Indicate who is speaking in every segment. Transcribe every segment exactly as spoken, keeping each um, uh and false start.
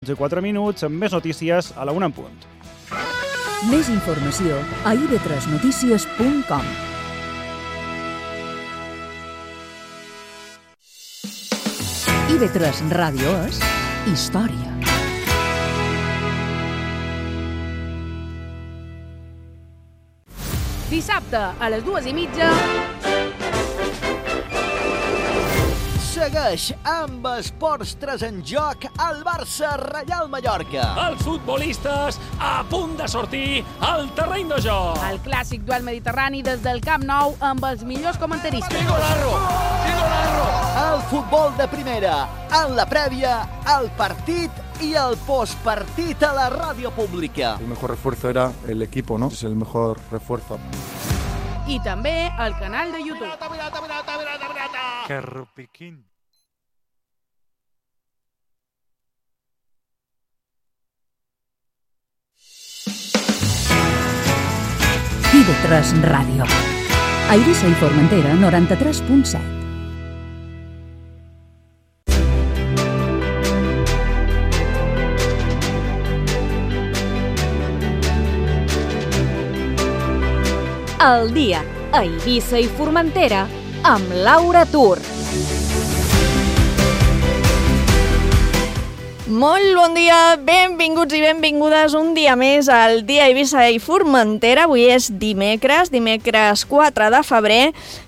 Speaker 1: quatre minuts, amb més notícies a la una en punt.
Speaker 2: Més informació a i ve tres notícies punt com. i ve tres Ràdio és història.
Speaker 3: Dissabte, a les dues i mitja...
Speaker 4: Segueix amb Esports tres en joc al Barça-Reial Mallorca.
Speaker 5: Els futbolistes a punt de sortir al terreny de joc.
Speaker 3: El clàssic duel mediterrani des del Camp Nou amb els millors comentaristes.
Speaker 5: Golazo! Golazo!
Speaker 4: El futbol de primera, en la prèvia, el partit i el postpartit a la ràdio pública.
Speaker 6: El mejor refuerzo era el equipo, ¿no? Es el mejor refuerzo.
Speaker 3: I també al canal de YouTube.
Speaker 5: Pirata, pirata, pirata, pirata, pirata.
Speaker 7: Que rupiquín.
Speaker 2: i ve tres Ràdio. A Eivissa i Formentera, noranta-tres punt set.
Speaker 8: El dia a Eivissa i Formentera amb Laura Tur.
Speaker 9: Molt bon dia, benvinguts i benvingudes un dia més al dia a Eivissa i Formentera. Avui és dimecres, dimecres quatre de febrer,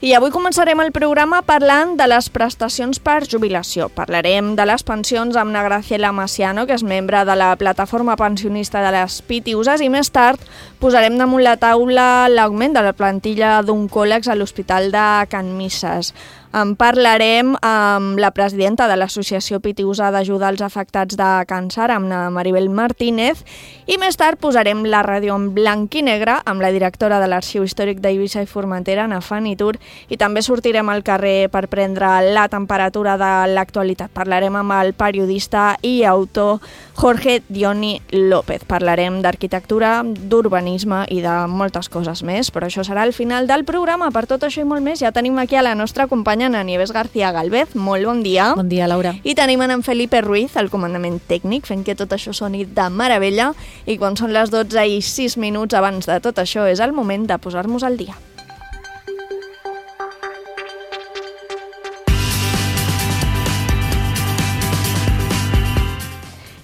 Speaker 9: i avui començarem el programa parlant de les prestacions per jubilació. Parlarem de les pensions amb na Graciela Maciano, que és membre de la plataforma pensionista de les Pitiuses, i més tard posarem damunt la taula l'augment de la plantilla d'oncòlegs a l'Hospital de Can Misses. En parlarem amb la presidenta de l'Associació Pitiusa d'Ajuda als Afectats de Càncer, amb na Maribel Martínez, i més tard posarem la ràdio en blanc i negre amb la directora de l'Arxiu Històric d'Eivissa i Formentera, na Fanny Tur, i també sortirem al carrer per prendre la temperatura de l'actualitat. Parlarem amb el periodista i autor Jorge Dioni López. Parlarem d'arquitectura, d'urbanisme i de moltes coses més, però això serà al final del programa. Per tot això i molt més, ja tenim aquí a la nostra companya a Nieves García Galvez. Molt bon dia.
Speaker 10: Bon dia, Laura.
Speaker 9: I tenim en Felipe Ruiz, el comandament tècnic, fent que tot això soni de meravella. I quan són les dotze i sis minuts abans de tot això, és el moment de posar-nos al dia.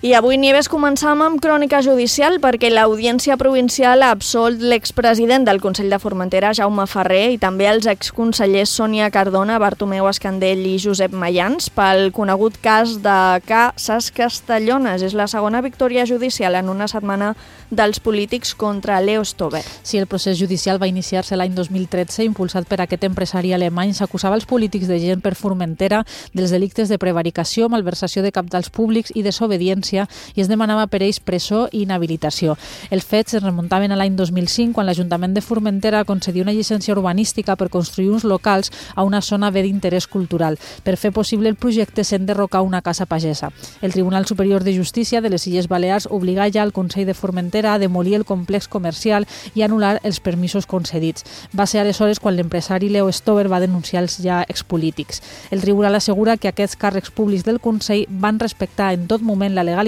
Speaker 9: I avui, Nieves, començam amb crònica judicial perquè l'Audiència Provincial ha absolt l'expresident del Consell de Formentera, Jaume Ferrer, i també els exconsellers Sònia Cardona, Bartomeu Escandell i Josep Mayans pel conegut cas de Casas Castellones. És la segona victòria judicial en una setmana dels polítics contra Leo Stover.
Speaker 10: Sí, el procés judicial va iniciar-se l'any dos mil tretze, impulsat per aquest empresari alemany. S'acusava els polítics de gent per Formentera dels delictes de prevaricació, malversació de cabals públics i desobediència, i es demanava per ells presó i inhabilitació. Els fets es remuntaven a l'any dos mil cinc, quan l'Ajuntament de Formentera concedia una llicència urbanística per construir uns locals a una zona bé d'interès cultural. Per fer possible el projecte s'ha d'enderrocar una casa pagesa. El Tribunal Superior de Justícia de les Illes Balears obligà ja el Consell de Formentera a demolir el complex comercial i anul·lar els permisos concedits. Va ser aleshores quan l'empresari Leo Stover va denunciar els ja expolítics. El Tribunal assegura que aquests càrrecs públics del Consell van respectar en tot moment la legalitat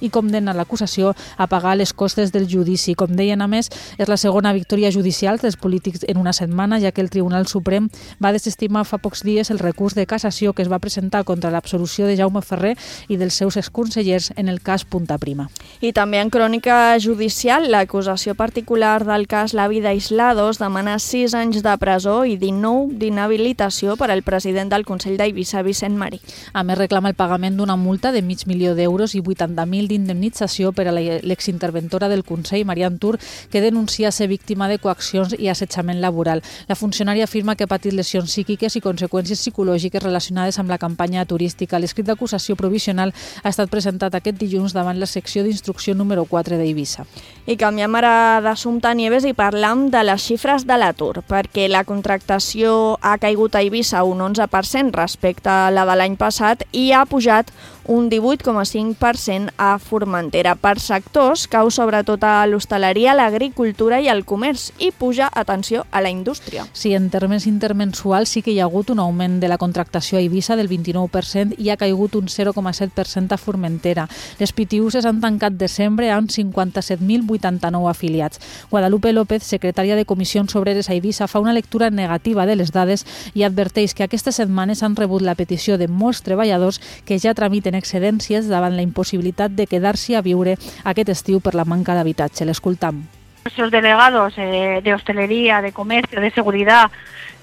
Speaker 10: i condemna l'acusació a pagar les costes del judici. Com deien, a més, és la segona victòria judicial dels polítics en una setmana, ja que el Tribunal Suprem va desestimar fa pocs dies el recurs de cassació que es va presentar contra l'absolució de Jaume Ferrer i dels seus exconsellers en el cas Punta Prima.
Speaker 9: I també en crònica judicial, l'acusació particular del cas L'avi d'Aislados demana sis anys de presó i dinou d'inhabilitació per al president del Consell d'Eivissa, Vicent Marí.
Speaker 10: A més, reclama el pagament d'una multa de mig milió d'euros i vuitanta mil d'indemnització per a l'exinterventora del Consell, Marian Tur, que denuncia ser víctima de coaccions i assetjament laboral. La funcionària afirma que ha patit lesions psíquiques i conseqüències psicològiques relacionades amb la campanya turística. L'escrit d'acusació provisional ha estat presentat aquest dilluns davant la secció d'instrucció número quatre d'Eivissa.
Speaker 9: I canviem ara d'assumpte, Nieves, i parlam de les xifres de l'atur, perquè la contractació ha caigut a Eivissa un onze per cent respecte a la de l'any passat i ha pujat un divuit coma cinc per cent a Formentera. Per sectors, cau sobretot a l'hostaleria, l'agricultura i el comerç i puja, atenció, a la indústria.
Speaker 10: Sí, en termes intermensuals sí que hi ha hagut un augment de la contractació a Eivissa del vint-i-nou per cent i ha caigut un zero coma set per cent a Formentera. Les pitiuses han tancat desembre amb cinquanta-set mil vuitanta-nou afiliats. Guadalupe López, secretària de Comissions Obreres a Eivissa, fa una lectura negativa de les dades i adverteix que aquestes setmanes han rebut la petició de molts treballadors que ja tramiten excedències davant la imposibilitat de quedar-s'hi a viure aquest estiu per la manca d'habitatge. L'escoltam.
Speaker 7: Nuestros delegados eh, de hostelería, de comercio, de seguridad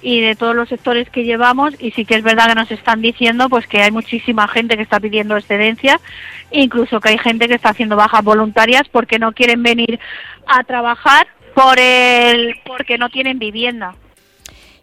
Speaker 7: y de todos los sectores que llevamos, y sí que es verdad que nos están diciendo pues que hay muchísima gente que está pidiendo excedencias, incluso que hay gente que está haciendo bajas voluntarias porque no quieren venir a trabajar por el porque no tienen vivienda.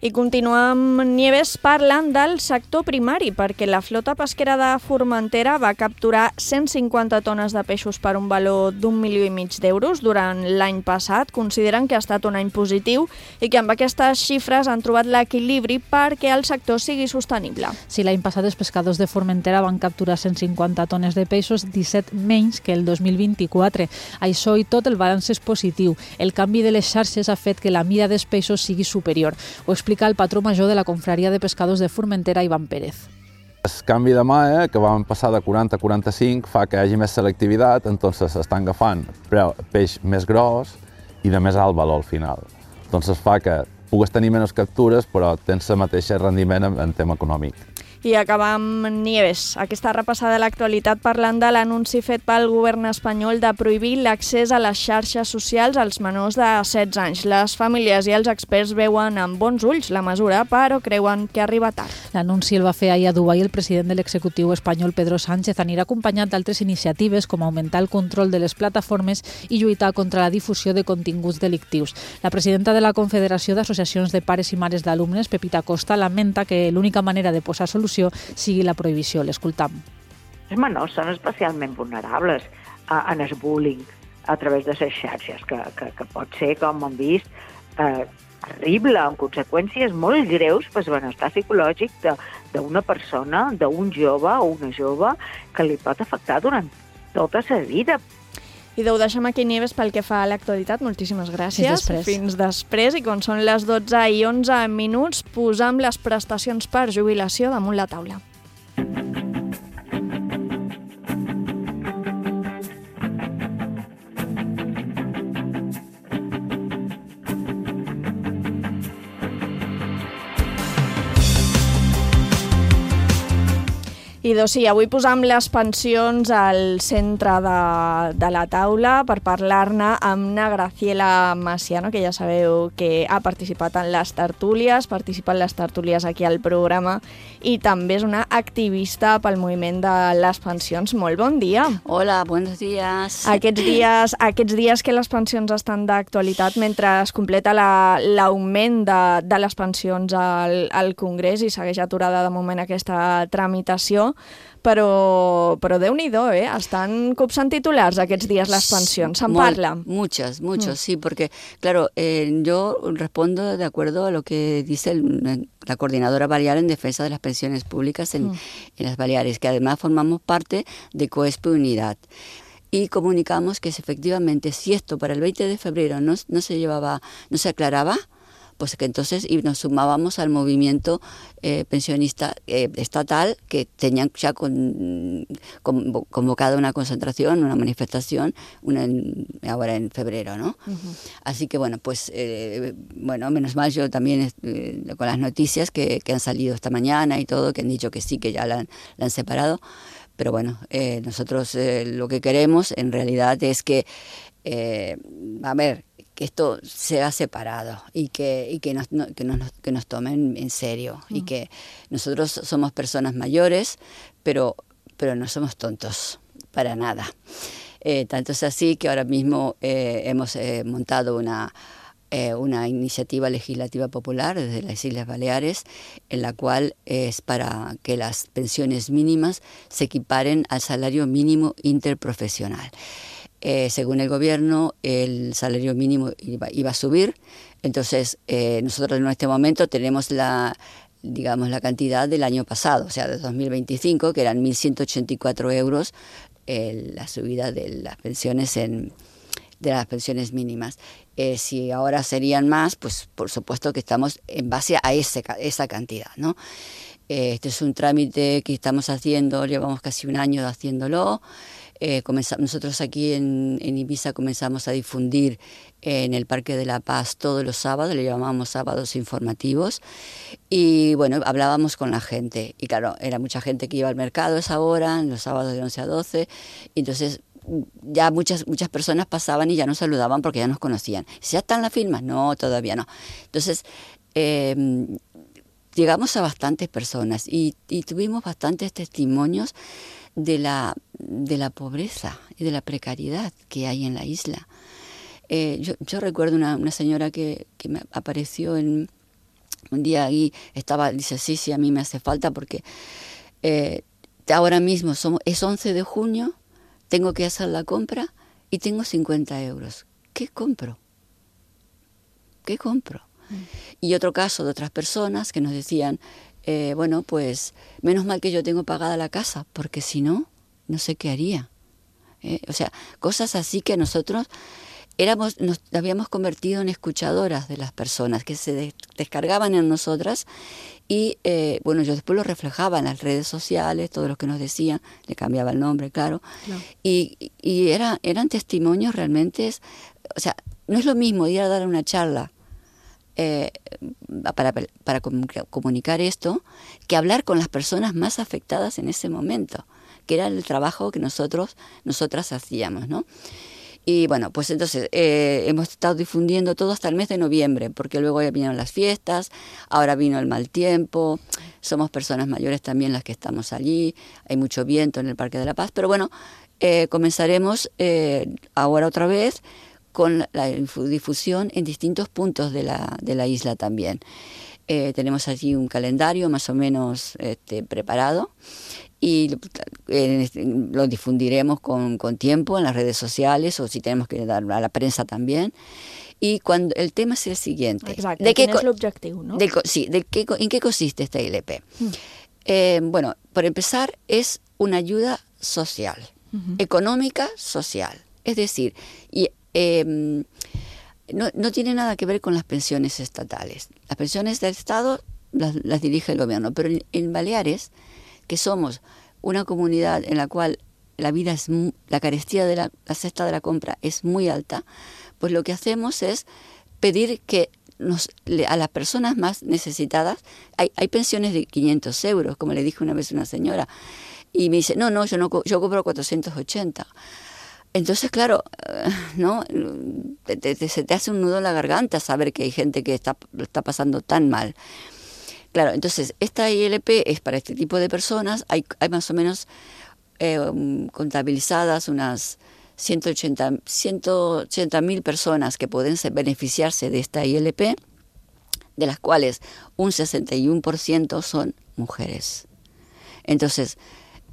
Speaker 9: I continuem, Nieves, parlant del sector primari, perquè la flota pesquera de Formentera va capturar cent cinquanta tones de peixos per un valor d'un milió i mig d'euros durant l'any passat. Consideren que ha estat un any positiu i que amb aquestes xifres han trobat l'equilibri perquè el sector sigui sostenible.
Speaker 10: Sí, l'any passat els pescadors de Formentera van capturar cent cinquanta tones de peixos, disset menys que el dos mil vint-i-quatre. Això i tot el balanç és positiu. El canvi de les xarxes ha fet que la mida dels peixos sigui superior. Ho explica el patró major de la confraria de pescadors de Formentera, Ivan Pérez.
Speaker 11: El canvi de mà, eh, que vam passar de quaranta a quaranta-cinc, fa que hi hagi més selectivitat, entonces s'estan agafant peix més gros i de més alt valor al final. Entonces fa que pugues tenir menys captures, però tens el mateix rendiment en, en tema econòmic.
Speaker 9: I acabam, Nieves, aquesta repassada de l'actualitat parlant de l'anunci fet pel govern espanyol de prohibir l'accés a les xarxes socials als menors de setze anys. Les famílies i els experts veuen amb bons ulls la mesura, però creuen que arriba tard.
Speaker 10: L'anunci el va fer ahir a Dubai el president de l'executiu espanyol, Pedro Sánchez. Anirà acompanyat d'altres iniciatives com augmentar el control de les plataformes i lluitar contra la difusió de continguts delictius. La presidenta de la Confederació d'Associacions de Pares i Mares d'Alumnes, Pepita Costa, lamenta que l'única manera de posar solució sigui la prohibició. L'escoltam.
Speaker 12: Els menors són especialment vulnerables a, en el bullying a través de les xarxes, que, que, que pot ser, com hem vist, eh, terrible, amb conseqüències molt greus per al benestar psicològic d'una persona, d'un jove o una jove, que li pot afectar durant tota la vida.
Speaker 9: I ho deixem aquí, Nieves, pel que fa a l'actualitat. Moltíssimes gràcies.
Speaker 10: Fins després.
Speaker 9: Fins després. I quan són les dotze i onze minuts, posam les prestacions per jubilació damunt la taula. I doncs sí, avui posam les pensions al centre de, de la taula per parlar-ne amb na Graciela Maciano, que ja sabeu que ha participat en les tertúlies, participa en les tertúlies aquí al programa i també és una activista pel moviment de les pensions. Molt bon dia.
Speaker 13: Hola, buenos días.
Speaker 9: Aquests dies, aquests dies que les pensions estan d'actualitat mentre es completa l'augment la, de, de les pensions al, al Congrés i segueix aturada de moment aquesta tramitació, però, però Déu-n'hi-do, eh? Estan copsant titulars aquests dies les pensions, se'n parla.
Speaker 13: Muchas, muchos, mm. sí, porque, claro, eh, yo respondo de acuerdo a lo que dice el, la Coordinadora Balear en defensa de las pensiones públicas en, mm. en las Baleares, que además formamos parte de COESPE Unidad. Y comunicamos que efectivamente, si esto para el veinte de febrero no, no se llevaba, no se aclaraba, pues que entonces y nos sumábamos al movimiento eh, pensionista eh, estatal, que tenían ya con, con, convocado una concentración, una manifestación, una en, ahora en febrero, ¿no? Uh-huh. Así que bueno, pues eh, bueno, menos mal yo también eh, con las noticias que, que han salido esta mañana y todo, que han dicho que sí, que ya la han, la han separado, pero bueno, eh, nosotros eh, lo que queremos en realidad es que, eh, a ver, que esto sea separado y que, y que, nos, no, que, nos, que nos tomen en serio mm. y que nosotros somos personas mayores, pero, pero no somos tontos, para nada. Eh, tanto es así que ahora mismo eh, hemos eh, montado una, eh, una iniciativa legislativa popular desde las Islas Baleares, en la cual es para que las pensiones mínimas se equiparen al salario mínimo interprofesional. Eh, según el gobierno, el salario mínimo iba, iba a subir, entonces eh, nosotros en este momento tenemos la, digamos, la cantidad del año pasado, o sea, de dos mil veinticinco, que eran mil ciento ochenta y cuatro euros eh, la subida de las pensiones en de las pensiones mínimas. Eh, si ahora serían más, pues por supuesto que estamos en base a ese, esa cantidad, ¿no? Eh, este es un trámite que estamos haciendo, llevamos casi un año haciéndolo. Eh, comenzamos, nosotros aquí en, en Ibiza comenzamos a difundir en el Parque de la Paz todos los sábados, le llamamos sábados informativos, y bueno, hablábamos con la gente, y claro, era mucha gente que iba al mercado a esa hora, en los sábados de once a doce, y entonces ya muchas muchas personas pasaban y ya nos saludaban porque ya nos conocían. ¿Ya están las firmas? No, todavía no. Entonces, eh, llegamos a bastantes personas y, y tuvimos bastantes testimonios de la, de la pobreza y de la precariedad que hay en la isla. Eh, yo, yo recuerdo una, una señora que, que me apareció en, un día y estaba, dice, sí, sí, a mí me hace falta porque eh, ahora mismo somos, es once de junio, tengo que hacer la compra y tengo cincuenta euros. ¿Qué compro? ¿Qué compro? Mm. Y otro caso de otras personas que nos decían, eh, bueno, pues menos mal que yo tengo pagada la casa, porque si no, no sé qué haría. Eh, o sea, cosas así que nosotros éramos, nos habíamos convertido en escuchadoras de las personas que se des- descargaban en nosotras y eh, bueno, yo después lo reflejaba en las redes sociales, todo lo que nos decían, le cambiaba el nombre, claro, no. y, y era, eran testimonios realmente, o sea, no es lo mismo ir a dar una charla eh, para, para comunicar esto que hablar con las personas más afectadas en ese momento, que era el trabajo que nosotros, nosotras hacíamos, ¿no? Y bueno, pues entonces eh, hemos estado difundiendo todo hasta el mes de noviembre, porque luego ya vinieron las fiestas, ahora vino el mal tiempo, somos personas mayores también las que estamos allí, hay mucho viento en el Parque de la Paz, pero bueno, eh, comenzaremos eh, ahora otra vez con la, la difusión en distintos puntos de la, de la isla también. Eh, tenemos allí un calendario más o menos este, preparado, y eh, lo difundiremos con, con tiempo en las redes sociales o si tenemos que dar a la prensa también. Y cuando el tema es el siguiente.
Speaker 9: Exacte,
Speaker 13: de
Speaker 9: quin
Speaker 13: qué,
Speaker 9: és l'objectiu, no?
Speaker 13: De, sí, de qué, ¿en qué consiste esta I L P? Mm. Eh, bueno, por empezar, es una ayuda social, uh-huh. económica social. Es decir, y, eh, no, no tiene nada que ver con las pensiones estatales. Las pensiones del Estado las, las dirige el gobierno, pero en, en Baleares, que somos una comunidad en la cual la vida es muy, la carestía de la, la cesta de la compra es muy alta, pues lo que hacemos es pedir que nos, a las personas más necesitadas, hay, hay pensiones de quinientos euros, como le dije una vez a una señora, y me dice, no, no, yo no yo cobro cuatrocientos ochenta. Entonces, claro, ¿no? Te, te, se te hace un nudo en la garganta saber que hay gente que está, está pasando tan mal. Claro, entonces, esta I L P es para este tipo de personas. Hay, hay más o menos eh, contabilizadas unas ciento ochenta mil personas que pueden beneficiarse de esta I L P, de las cuales un sesenta y uno por ciento son mujeres. Entonces,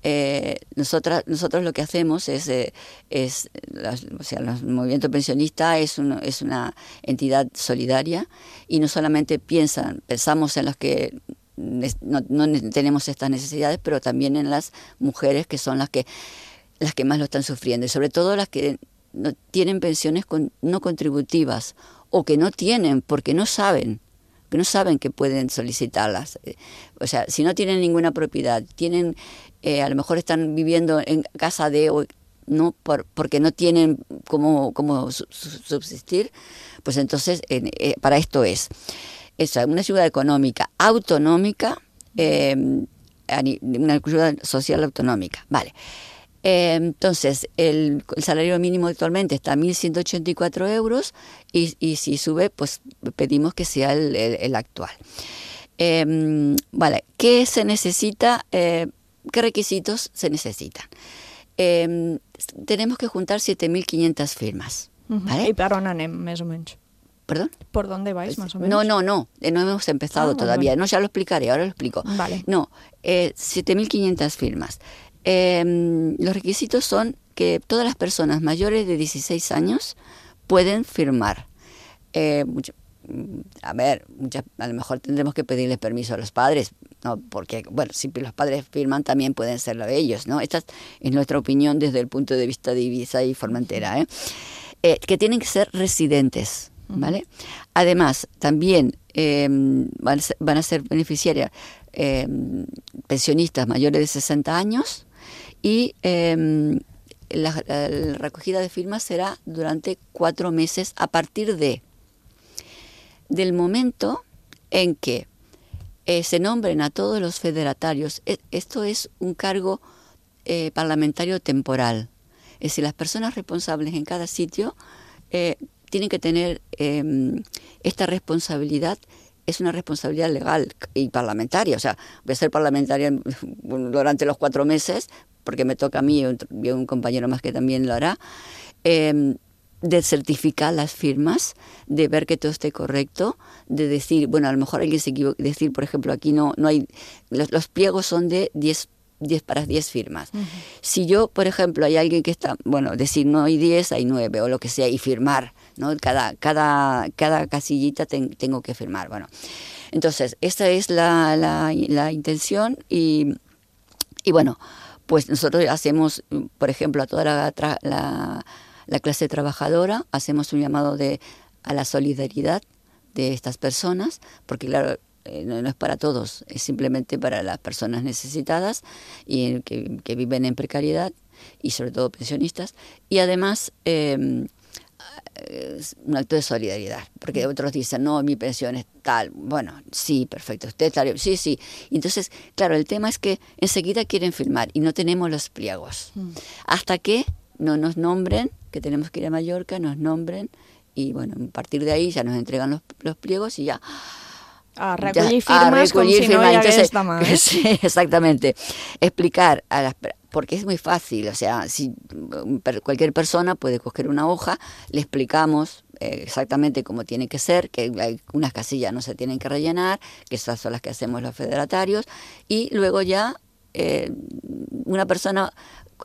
Speaker 13: eh, nosotras, nosotros lo que hacemos es, eh, es las, o sea, el movimiento pensionista es, un, es una entidad solidaria y no solamente piensan, pensamos en los que no, no tenemos estas necesidades, pero también en las mujeres que son las que, las que más lo están sufriendo y sobre todo las que no tienen pensiones con, no contributivas o que no tienen porque no saben. que no saben que pueden solicitarlas. O sea, si no tienen ninguna propiedad, tienen, eh, a lo mejor están viviendo en casa de, o, no por, porque no tienen cómo, cómo subsistir, pues entonces eh, eh, para esto es. Es una ayuda económica autonómica, eh, una ayuda social autonómica. Vale. Eh, entonces, el, el salario mínimo actualmente está a mil ciento ochenta y cuatro euros y, y si sube, pues pedimos que sea el, el, el actual. Eh, vale, ¿qué se necesita? Eh, ¿Qué requisitos se necesitan? Eh, tenemos que juntar siete mil quinientas firmas.
Speaker 9: Uh-huh. ¿Vale? ¿Y per on anem, més o menys?
Speaker 13: ¿Perdón?
Speaker 9: ¿Por dónde vais, más o menos?
Speaker 13: No, no, no, no hemos empezado ah, todavía. Vale. No, ya lo explicaré, ahora lo explico.
Speaker 9: Vale.
Speaker 13: No, eh, siete mil quinientas firmas. Eh, los requisitos son que todas las personas mayores de dieciséis años pueden firmar. Eh, mucho, a ver, muchas, a lo mejor tendremos que pedirles permiso a los padres, ¿no? Porque, bueno, si los padres firman también pueden serlo ellos, ¿no? Esta es nuestra opinión desde el punto de vista de Ibiza y Formentera, ¿eh? Eh, que tienen que ser residentes, ¿vale? Además, también eh, van, a ser, van a ser beneficiarias eh, pensionistas mayores de sesenta años y eh, la, la recogida de firmas será durante cuatro meses a partir de del momento en que eh, se nombren a todos los federatarios. E- esto es un cargo eh, parlamentario temporal. Es decir, las personas responsables en cada sitio eh, tienen que tener eh, esta responsabilidad. Es una responsabilidad legal y parlamentaria. O sea, voy a ser parlamentaria durante los cuatro meses, porque me toca a mí y un compañero más que también lo hará, eh, de certificar las firmas, de ver que todo esté correcto, de decir, bueno, a lo mejor alguien se equivoca, decir, por ejemplo, aquí no, no hay, los, los pliegos son de diez para diez firmas. Uh-huh. Si yo, por ejemplo, hay alguien que está, bueno, decir no hay diez, hay nueve o lo que sea, y firmar, ¿no? Cada, cada, cada casillita ten, tengo que firmar. Bueno, entonces, esta es la, la, la intención y, y bueno, pues nosotros hacemos, por ejemplo, a toda la, la, la clase trabajadora, hacemos un llamado de, a la solidaridad de estas personas, porque claro, Eh, no, no es para todos, es simplemente para las personas necesitadas y que, que viven en precariedad y sobre todo pensionistas, y además eh, es un acto de solidaridad, porque otros dicen, no, mi pensión es tal, bueno, sí, perfecto, usted está, sí, sí, y entonces, claro, el tema es que enseguida quieren firmar y no tenemos los pliegos, mm. hasta que no nos nombren, que tenemos que ir a Mallorca, nos nombren, y bueno, a partir de ahí ya nos entregan los, los pliegos y ya...
Speaker 9: A recollir firmes como si no hi hagués demà. Eh?
Speaker 13: Sí, exactamente. Explicar, a las, porque es muy fácil, o sea, si cualquier persona puede coger una hoja, le explicamos eh, exactamente cómo tiene que ser, que hay unas casillas no se tienen que rellenar, que esas son las que hacemos los federatarios, y luego ya eh, una persona...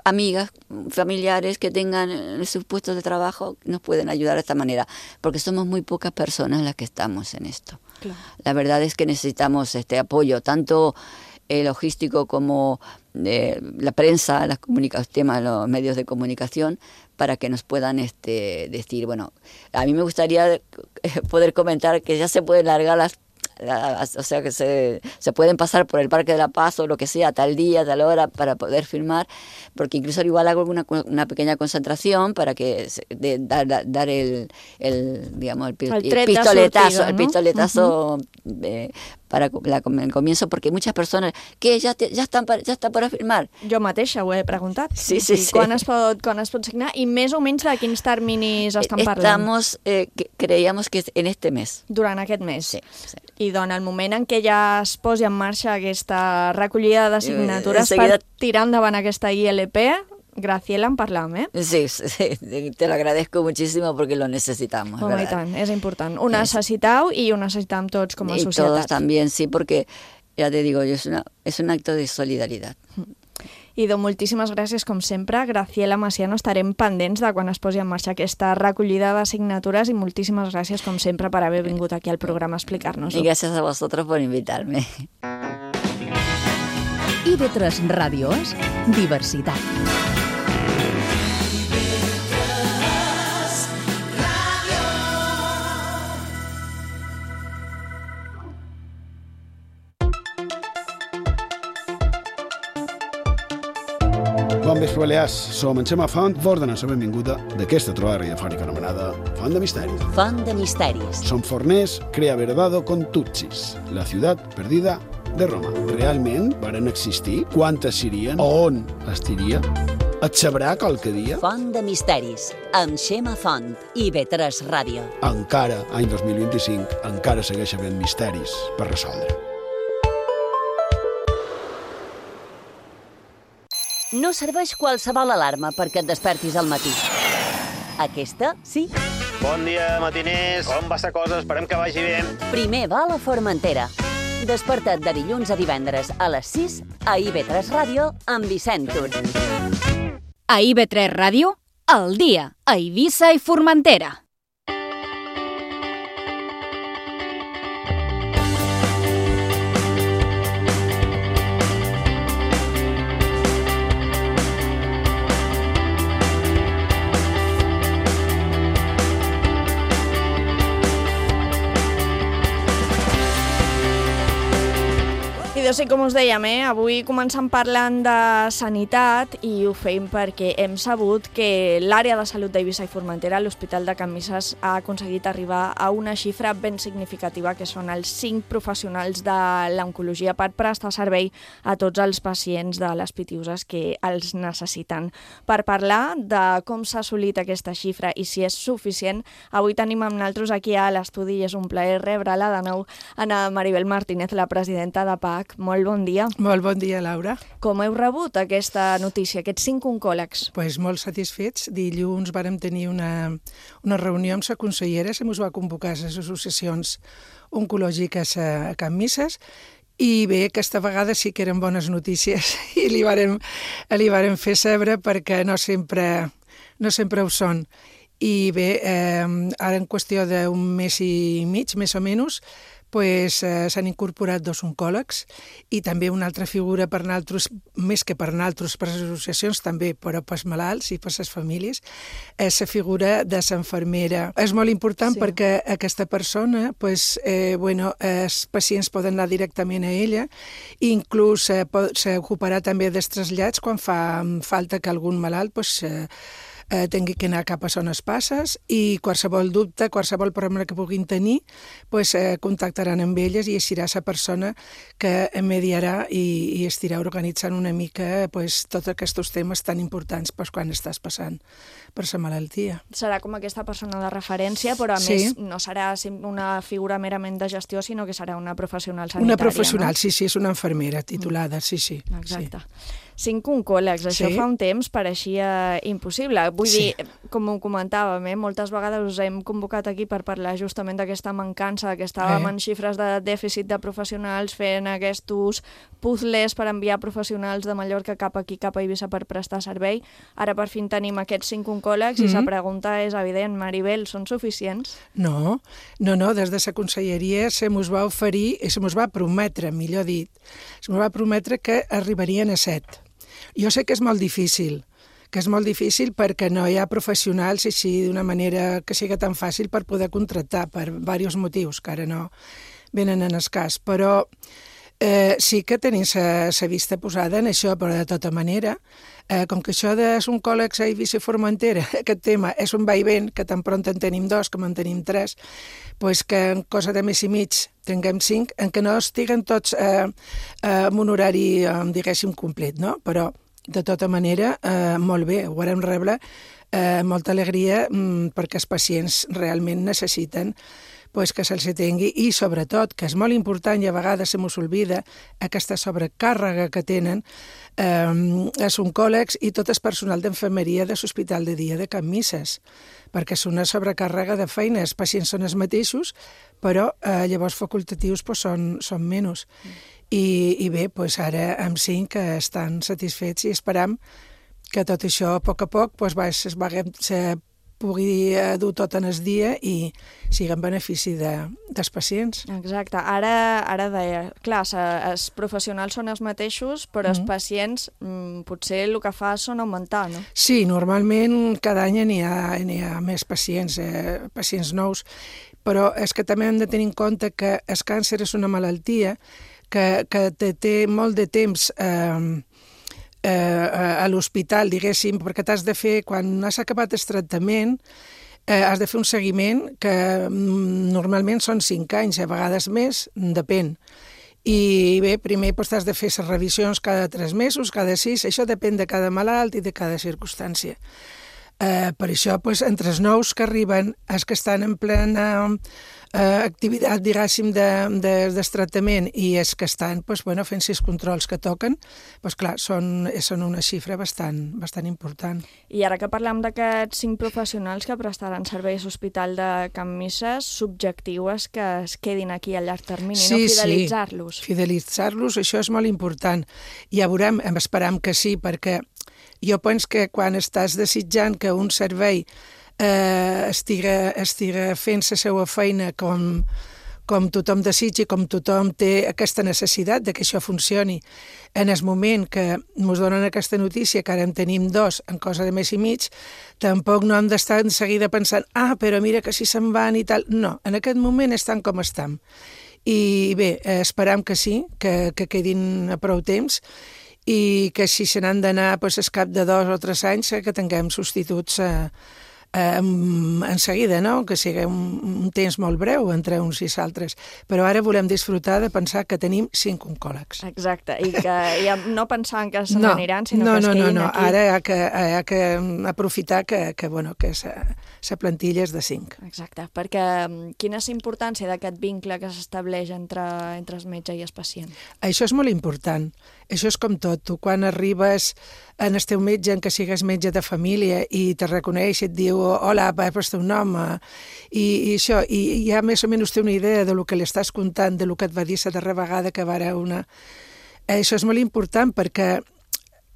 Speaker 13: amigas, familiares que tengan sus puestos de trabajo nos pueden ayudar de esta manera, porque somos muy pocas personas las que estamos en esto. Claro. La verdad es que necesitamos este apoyo, tanto eh, logístico como eh, la prensa, las comunica- temas, los medios de comunicación, para que nos puedan este, decir, bueno, a mí me gustaría poder comentar que ya se pueden largar las o sea que se, se pueden pasar por el Parque de la Paz o lo que sea, tal día, tal hora, para poder firmar, porque incluso igual hago una, una pequeña concentración para que de, dar, dar el, el digamos el, el, el pistoletazo, sortido, ¿no? el pistoletazo uh-huh. eh, para la, el comienzo, porque muchas personas que ya, te, ya, están para, ya están para firmar.
Speaker 9: Jo mateixa ho he preguntat.
Speaker 13: Sí, sí, sí.
Speaker 9: Quan es pot, quan es pot signar i més o menys de quins terminis estan parlant?
Speaker 13: Estamos, eh, que, creíamos que en este mes.
Speaker 9: Durant aquest mes.
Speaker 13: Sí, sí.
Speaker 9: I doncs el moment en què ja es posi en marxa aquesta recollida de signatures
Speaker 13: Enseguida...
Speaker 9: per tirar endavant aquesta I L P, Graciela, en parlam, eh?
Speaker 13: Sí, sí, te lo agradezco muchísimo porque lo necesitamos,
Speaker 9: Home,
Speaker 13: ¿verdad?
Speaker 9: i tant, és important. Ho necessitau i ho necessitam tots com a
Speaker 13: y
Speaker 9: societat.
Speaker 13: Y todos también, sí, porque, ya te digo, es, una, es un acto de solidaridad.
Speaker 9: I doncs moltíssimes gràcies, com sempre. Graciela Maciano, estarem pendents de quan es posi en marxa aquesta recollida de signatures i moltíssimes gràcies, com sempre, per haver vingut aquí al programa a explicar-nos-ho.
Speaker 13: Y gracias a vosotros por invitarme.
Speaker 2: I B tres Ràdio és diversitat.
Speaker 14: Bon vespre, Balears. Som en Xema Font, vos donem la benvinguda d'aquesta trobada radiofònica anomenada Font de Misteris.
Speaker 15: Font de Misteris.
Speaker 14: Som forners, crea verdado con tutsis, la ciutat perdida de Roma. Realment varen existir? Quantes serien? On estiria? Et sabrà qualque dia?
Speaker 15: Font de Misteris, amb Xema Font i B tres Ràdio.
Speaker 14: Encara, any dos mil vint-i-cinc, encara segueix havent misteris per resoldre.
Speaker 15: No serveix qualsevol alarma perquè et despertis al matí. Aquesta, sí.
Speaker 16: Bon dia, matiners. Com va la cosa? Esperem que vagi bé.
Speaker 15: Primer va a la Formentera. Desperta't de dilluns a divendres a les sis a I B tres Ràdio amb Vicent Tur.
Speaker 8: A I B tres Ràdio, al dia, a Eivissa i Formentera.
Speaker 9: doncs sí, com us dèiem, eh? avui començam parlant de sanitat i ho fem perquè hem sabut que l'àrea de salut d'Eivissa i Formentera, l'Hospital de Can Misses, ha aconseguit arribar a una xifra ben significativa, que són els cinc professionals de l'oncologia per prestar servei a tots els pacients de les pitiüses que els necessiten. Per parlar de com s'ha assolit aquesta xifra i si és suficient, avui tenim amb nosaltres aquí a l'estudi i és un plaer rebre-la de nou, Ana Maribel Martínez, la presidenta de P A C. Molt bon dia.
Speaker 17: Molt bon dia, Laura.
Speaker 9: Com heu rebut aquesta notícia, aquests cinc oncòlegs?
Speaker 17: Pues molt satisfets. Dilluns vàrem tenir una, una reunió amb la consellera, se mos va convocar a les associacions oncològiques a Can Misses, i bé, aquesta vegada sí que eren bones notícies i li vàrem, li vàrem fer saber perquè no sempre, no sempre ho són. I bé, eh, ara en qüestió d'un mes i mig, més o menys, pues, eh, s'han incorporat dos oncòlegs i també una altra figura per nosaltres, més que per nosaltres, per les associacions també, però pels malalts i per les famílies, és la figura de l'infermera. És molt important sí. perquè aquesta persona, pues, eh, bueno, els pacients poden anar directament a ella i inclús eh, s'ocuparà també dels trasllats quan fa falta que algun malalt pues, eh, Eh, tingui que anar cap a zones passes i qualsevol dubte, qualsevol problema que puguin tenir, pues, eh, contactaran amb elles i serà la persona que mediarà i, i estirà organitzant una mica pues, tots aquests temes tan importants pues, quan estàs passant per la malaltia.
Speaker 9: Serà com aquesta persona de referència, però a sí. més no serà una figura merament de gestió, sinó que serà una professional sanitària.
Speaker 17: Una professional,
Speaker 9: no?
Speaker 17: sí, sí, és una infermera titulada, sí, sí.
Speaker 9: Exacte.
Speaker 17: Sí.
Speaker 9: Cinc oncòlegs, això
Speaker 17: sí.
Speaker 9: fa un temps pareixia impossible. Vull
Speaker 17: sí.
Speaker 9: dir, com ho comentàvem, eh, moltes vegades us hem convocat aquí per parlar justament d'aquesta mancança, que estàvem eh. en xifres de dèficit de professionals, fent aquests puzzles per enviar professionals de Mallorca cap aquí, cap a Eivissa per prestar servei. Ara per fin tenim aquests cinc oncòlegs mm-hmm. i la pregunta és evident, Maribel, són suficients?
Speaker 17: No, no, no, des de la conselleria se mos va oferir, i se mos va prometre, millor dit, se mos va prometre que arribarien a set. Jo sé que és molt difícil, que és molt difícil perquè no hi ha professionals així d'una manera que sigui tan fàcil per poder contractar per diversos motius que ara no venen en el cas, però eh, sí que tenim la vista posada en això, però de tota manera, eh, com que això de oncòlegs a Eivissa i Formentera, aquest tema és un vaivent, que tan pront en tenim dos com en tenim tres, pues que en cosa de mes i mig tinguem cinc, en què no estiguen tots eh, eh, amb un horari, eh, diguéssim, complet, no? Però, de tota manera, eh, molt bé, ho vam rebre eh, molta alegria mm, perquè els pacients realment necessiten pues, que se'ls tingui i, sobretot, que és molt important i a vegades se mos oblida aquesta sobrecàrrega que tenen eh, els oncòlegs i tot el personal d'infermeria de l'Hospital de Dia de Can Misses, perquè és una sobrecàrrega de feina. Els pacients són els mateixos, però eh, llavors facultatius pues, són, són menys. I, i bé, pues, ara amb cinc estan satisfets i esperam que tot això a poc a poc pues, va, se, va, se pugui dur tot en el dia i sigui en benefici de, dels pacients.
Speaker 9: Exacte. Ara, ara deia, clar, els professionals són els mateixos, però els mm. pacients mm, potser el que fa són augmentar, no?
Speaker 17: Sí, normalment cada any n'hi ha, n'hi ha més pacients, eh, pacients nous, però és que també hem de tenir en compte que el càncer és una malaltia que, que té, té molt de temps eh, eh, a l'hospital, diguéssim, perquè t'has de fer, quan has acabat el tractament, eh, has de fer un seguiment que mm, normalment són cinc anys, a vegades més, depèn. I bé, primer doncs, has de fer les revisions cada tres mesos, cada sis, això depèn de cada malalt i de cada circumstància. Eh, per això, doncs, entre els nous que arriben, els que estan en plena eh, activitat, diguéssim, de, de, de tractament i els que estan doncs, bueno, fent sis controls que toquen, doncs, clar, són, són una xifra bastant, bastant important.
Speaker 9: I ara que parlem d'aquests cinc professionals que prestaran serveis a l'Hospital de Can Misses, subjectiu és que es quedin aquí a llarg termini, sí, no fidelitzar-los.
Speaker 17: Sí, fidelitzar-los, això és molt important. Ja veurem, esperam que sí, perquè jo penso que quan estàs desitjant que un servei eh, estiga, estiga fent la seva feina com, com tothom desitja i com tothom té aquesta necessitat de que això funcioni, en el moment que ens donen aquesta notícia, que ara en tenim dos en cosa de mes i mig, tampoc no hem d'estar en seguida pensant ah, però mira que si se'n van i tal. No, en aquest moment estan com estan. i bé, esperam que sí, que, que quedin a prou temps i que si se n'han d'anar pues, al cap de dos o tres anys que tinguem substituts eh, eh, en seguida, no? Que sigui un, un temps molt breu entre uns i altres. Però ara volem disfrutar de pensar que tenim cinc oncòlegs.
Speaker 9: Exacte, i que ja no pensant que se n'aniran, sinó
Speaker 17: no,
Speaker 9: que es
Speaker 17: no,
Speaker 9: quedin
Speaker 17: no, no.
Speaker 9: aquí.
Speaker 17: Ara hi ha que, hi ha que aprofitar que, que, bueno, que la plantilla és de cinc.
Speaker 9: Exacte, perquè quina és la importància d'aquest vincle que s'estableix entre, entre el metge i el pacient?
Speaker 17: Això és molt important. Això és com tot. Tu quan arribes en el teu metge, en que sigues metge de família, i te reconeix i et diu hola, va per el teu nom, i, i això, i ja més o menys té una idea de lo que li estàs contant, de lo que et va dir la darrera vegada que va una... Això és molt important perquè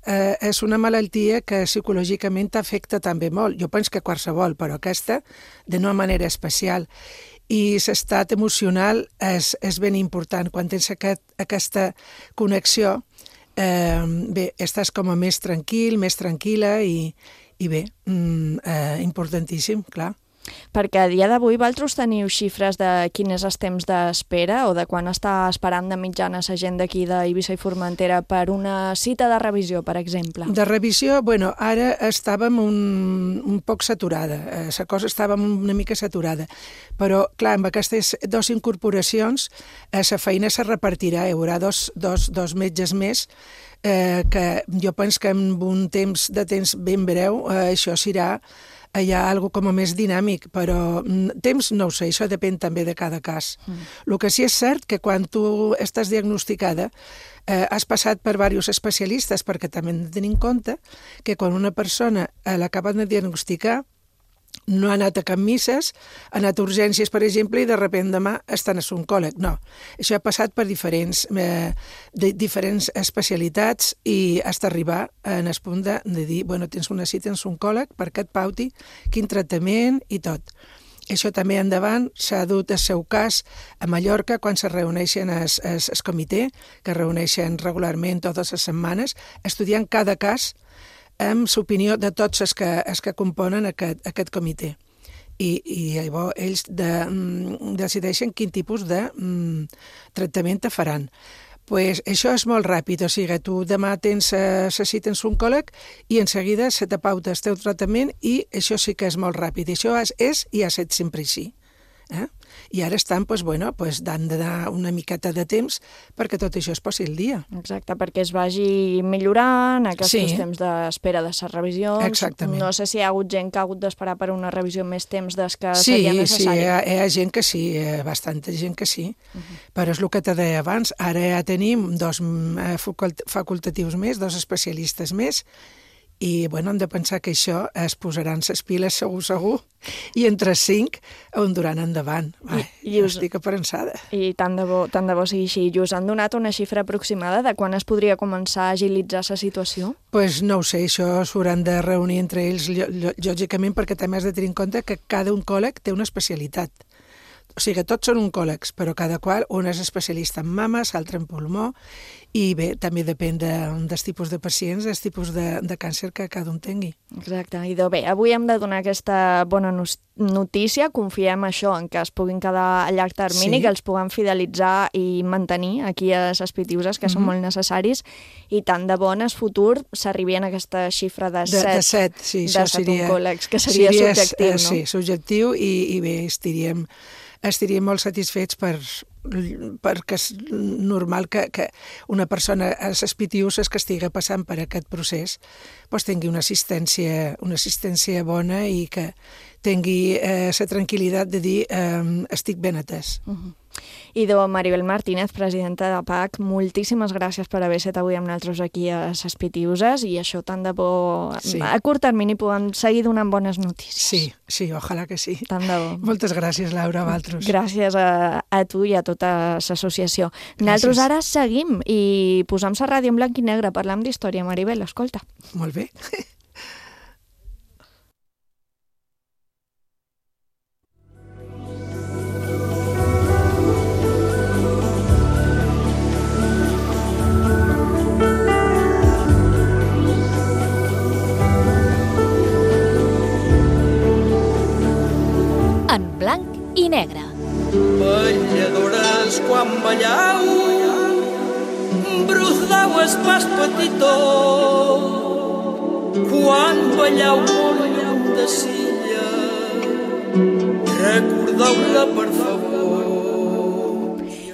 Speaker 17: eh, és una malaltia que psicològicament t'afecta també molt. Jo penso que qualsevol, però aquesta d'una manera especial. I l'estat emocional és, és ben important. Quan tens aquest, aquesta connexió, eh, bé, estàs com a més tranquil, més tranquil·la i, i bé, mm, eh, importantíssim, clar.
Speaker 9: Perquè a dia d'avui vosaltres teniu xifres de quin és el temps d'espera o de quan està esperant de mitjana la gent d'aquí d'Eivissa i Formentera per una cita de revisió, per exemple?
Speaker 17: De revisió, bueno, ara estàvem un, un poc saturada, la cosa estava una mica saturada, però clar, amb aquestes dues incorporacions la feina se repartirà, hi haurà dos, dos, dos metges més, eh, que jo penso que en un temps de temps ben breu eh, això serà hi ha alguna com a més dinàmic, però temps no ho sé, això depèn també de cada cas. Mm. El que sí és cert que quan tu estàs diagnosticada eh, has passat per diversos especialistes, perquè també hem de tenir en compte que quan una persona eh, l'acaben de diagnosticar no ha anat a cap misses, ha anat a urgències, per exemple, i de sobte demà està en oncòleg. No, això ha passat per diferents, eh, de, diferents especialitats i fins a arribar en el punt de, de dir, bueno, tens una cita en oncòleg perquè et pauti quin tractament i tot. Això també endavant s'ha dut el seu cas a Mallorca quan se reuneixen el, el, el comitè, que reuneixen regularment totes les setmanes, estudiant cada cas amb l'opinió de tots els que, els que componen aquest, aquest comitè. I, i llavors ells de, mm, decideixen quin tipus de mm, tractament te faran. Pues això és molt ràpid, o sigui, tu demà tens la cita en oncòleg i en seguida se te pauta el teu tractament i això sí que és molt ràpid. Això és, és i ha estat sempre així. Eh? I ara estan, pues, bueno, pues, dan de dar una miqueta de temps perquè tot això es posi al dia.
Speaker 9: Exacte, perquè es vagi millorant aquests
Speaker 17: sí.
Speaker 9: temps d'espera de les revisions.
Speaker 17: Exactament.
Speaker 9: No sé si hi ha hagut gent que ha hagut d'esperar per una revisió més temps des que
Speaker 17: sí,
Speaker 9: seria necessari.
Speaker 17: Sí, hi ha, hi ha gent que sí, bastanta gent que sí, uh-huh. Però és el que te deia abans, ara ja tenim dos facultatius més, dos especialistes més, i bueno, hem de pensar que això es posaran les piles segur, segur, i entre cinc ho duran endavant. Ai, I, i us... estic aparençada.
Speaker 9: I tant de bo, tant de bo sigui així. I us han donat una xifra aproximada de quan es podria començar a agilitzar la situació?
Speaker 17: Doncs pues no ho sé, això s'hauran de reunir entre ells, lògicament, perquè també has de tenir en compte que cada oncòleg té una especialitat. O sigui, tots són oncòlegs, però cada qual, un és especialista en mames, l'altre en pulmó, i bé, també depèn de, dels tipus de pacients, dels tipus de, de càncer que cada un tingui.
Speaker 9: Exacte, i de bé, avui hem de donar aquesta bona notícia, confiem això, en que es puguin quedar a llarg termini, sí. Que els puguem fidelitzar i mantenir aquí a les Pitiuses, que mm-hmm. són molt necessaris, i tant de bo en el futur s'arribien a aquesta xifra de set,
Speaker 17: de, de set, sí,
Speaker 9: de set
Speaker 17: seria,
Speaker 9: oncòlegs, que seria
Speaker 17: seria
Speaker 9: subjectiu,
Speaker 17: eh,
Speaker 9: no?
Speaker 17: Sí, subjectiu, i, i bé, estaríem... estaríem molt satisfets per, perquè és normal que, que una persona a les Pitiuses que estigui passant per aquest procés doncs tingui una assistència, una assistència bona i que tingui la eh, tranquil·litat de dir eh, estic ben atès.
Speaker 9: Uh-huh. I de Maribel Martínez, presidenta de P A C, moltíssimes gràcies per haver estat avui amb nosaltres aquí a les Pitiuses i això tant de bo, sí. A curt termini podem seguir donant bones notícies.
Speaker 17: Sí, sí, ojalà que sí.
Speaker 9: Tant de bo.
Speaker 17: Moltes gràcies, Laura, a vosaltres.
Speaker 9: Gràcies a, a tu i a tota l'associació. Nosaltres ara seguim i posam la ràdio en blanc i negre, parlam d'història. Maribel, escolta.
Speaker 17: Molt bé.
Speaker 8: En blanc i negre.
Speaker 18: balladores quan ballau, brudau es pas petitó, quan ballau molt lluny de Silla, recordeu-la per favor.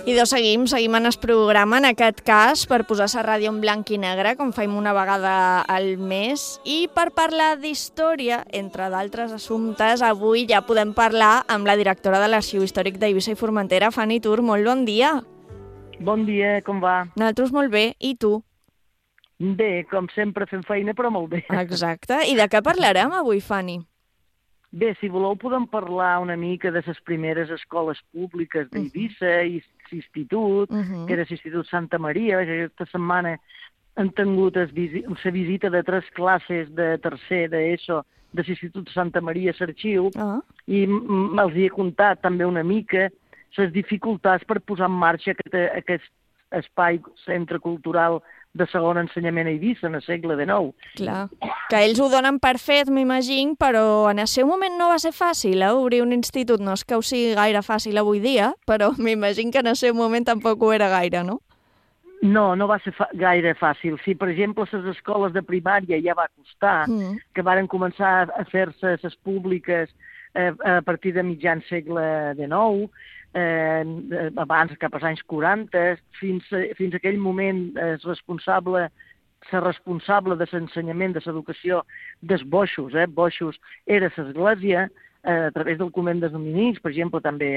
Speaker 9: I doncs seguim, seguim en el programa, en aquest cas, per posar la ràdio en blanc i negre, com fem una vegada al mes, i per parlar d'història, entre d'altres assumptes, avui ja podem parlar amb la directora de l'Arxiu Històric d'Eivissa i Formentera, Fanny Tur. Molt bon dia.
Speaker 19: Bon dia, com va?
Speaker 9: Nosaltres molt bé, i tu?
Speaker 19: Bé, com sempre fem feina, però molt bé.
Speaker 9: Exacte. I de què parlarem avui, Fanny?
Speaker 19: Bé, si voleu podem parlar una mica de les primeres escoles públiques d'Eivissa i l'institut,
Speaker 9: Uh-huh.
Speaker 19: que era l'Institut Santa Maria. Aquesta setmana han tingut la visita de tres classes de tercer d'ESO de l'Institut Santa Maria a l'Arxiu
Speaker 9: Ah.
Speaker 19: i m- els hi he contat també una mica les dificultats per posar en marxa aquest, aquest espai, centre cultural de segon ensenyament a Eivissa en el segle dinou.
Speaker 9: Clar, que ells ho donen per fet, m'imagino, però en el seu moment no va ser fàcil, eh? Obrir un institut. No és que ho sigui gaire fàcil avui dia, però m'imagino que en el seu moment tampoc ho era gaire, no?
Speaker 19: No, no va ser fa gaire fàcil. Si, per exemple, les escoles de primària ja va costar,
Speaker 9: Mm.
Speaker 19: que varen començar a fer-se les públiques eh, a partir de mitjan segle dinou, eh, abans, cap als anys quaranta, fins, a, fins a aquell moment és responsable, ser responsable de l'ensenyament, de l'educació dels boixos, eh? Boixos era l'església, a través del convent dels dominics, per exemple, també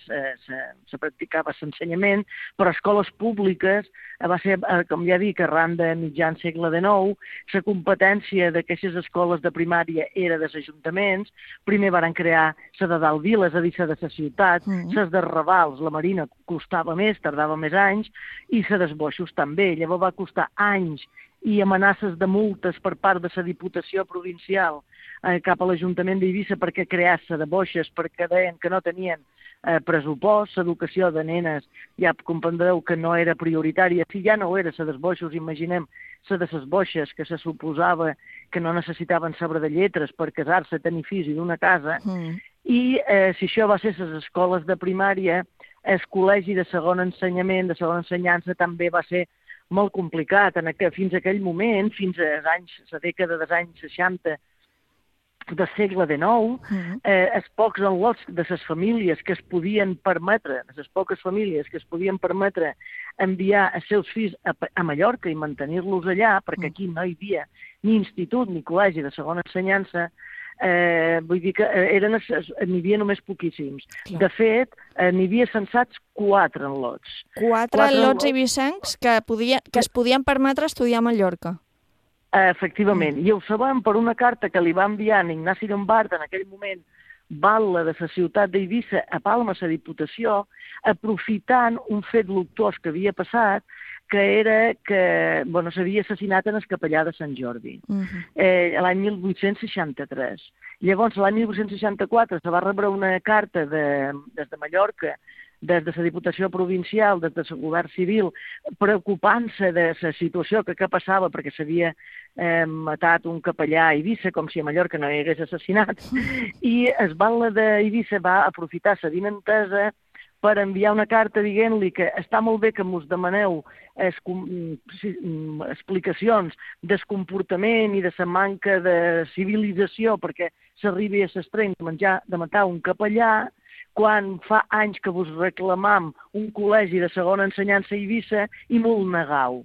Speaker 19: se, se, se practicava l'ensenyament, però escoles públiques va ser, com ja dic, arran de mitjan segle dinou, la competència d'aquestes escoles de primària era dels ajuntaments. Primer varen crear la de dalt vila, és a dir, la de la ciutat,
Speaker 9: Mm.
Speaker 19: les de Raval, la Marina, costava més, tardava més anys, i la dels boixos també. Llavors va costar anys i amenaces de multes per part de la Diputació Provincial eh, cap a l'Ajuntament d'Eivissa perquè crear-se de boixes, perquè deien que no tenien eh, pressupost, l'educació de nenes, ja comprendreu que no era prioritària. Si ja no era la dels boixos, imaginem la de les boixes, que se suposava que no necessitaven saber de lletres per casar-se, tenir fills i d'una casa,
Speaker 9: Mm.
Speaker 19: i eh, si això va ser les escoles de primària, el col·legi de segon ensenyament, de segona ensenyança, també va ser molt complicat. En aqu fins a aquell moment, fins als anys, la dècada dels anys seixanta del segle dinou,
Speaker 9: Mm.
Speaker 19: eh, els pocs enlots de les famílies que es podien permetre, les poques famílies que es podien permetre enviar els seus fills a, a Mallorca i mantenir-los allà, perquè aquí no hi havia ni institut ni col·legi de segona ensenyança, eh, vull dir que eren, n'hi havia només poquíssims.
Speaker 9: Clar.
Speaker 19: De fet, eh, n'hi havia censats quatre enlots.
Speaker 9: Quatre,
Speaker 19: Quatre
Speaker 9: lots
Speaker 19: enlots.
Speaker 9: eivissencs que, podia, que es podien permetre estudiar a Mallorca.
Speaker 19: Eh, efectivament, i ho sabem per una carta que li va enviar en Ignasi Llombart, en aquell moment batlle de la ciutat d'Eivissa, a Palma, a la Diputació, aprofitant un fet luctuós que havia passat, que era que bueno, s'havia assassinat en el capellà de Sant Jordi,
Speaker 9: Uh-huh.
Speaker 19: eh, l'any mil vuit-cents seixanta-tres. Llavors, l'any mil vuit-cents seixanta-quatre se va rebre una carta de, des de Mallorca, des de la Diputació Provincial, des del Govern Civil, preocupant-se de la situació que, que passava, perquè s'havia eh, matat un capellà a Eivissa, com si a Mallorca no hi hagués assassinat, i el batlle d'Eivissa va aprofitar la vinentesa per enviar una carta dient-li que està molt bé que mos demaneu es, si, explicacions del comportament i de la manca de civilització perquè s'arribi a l'extrem de, menjar, de matar un capellà, quan fa anys que vos reclamam un col·legi de segona ensenyança a Eivissa i m'ho negau.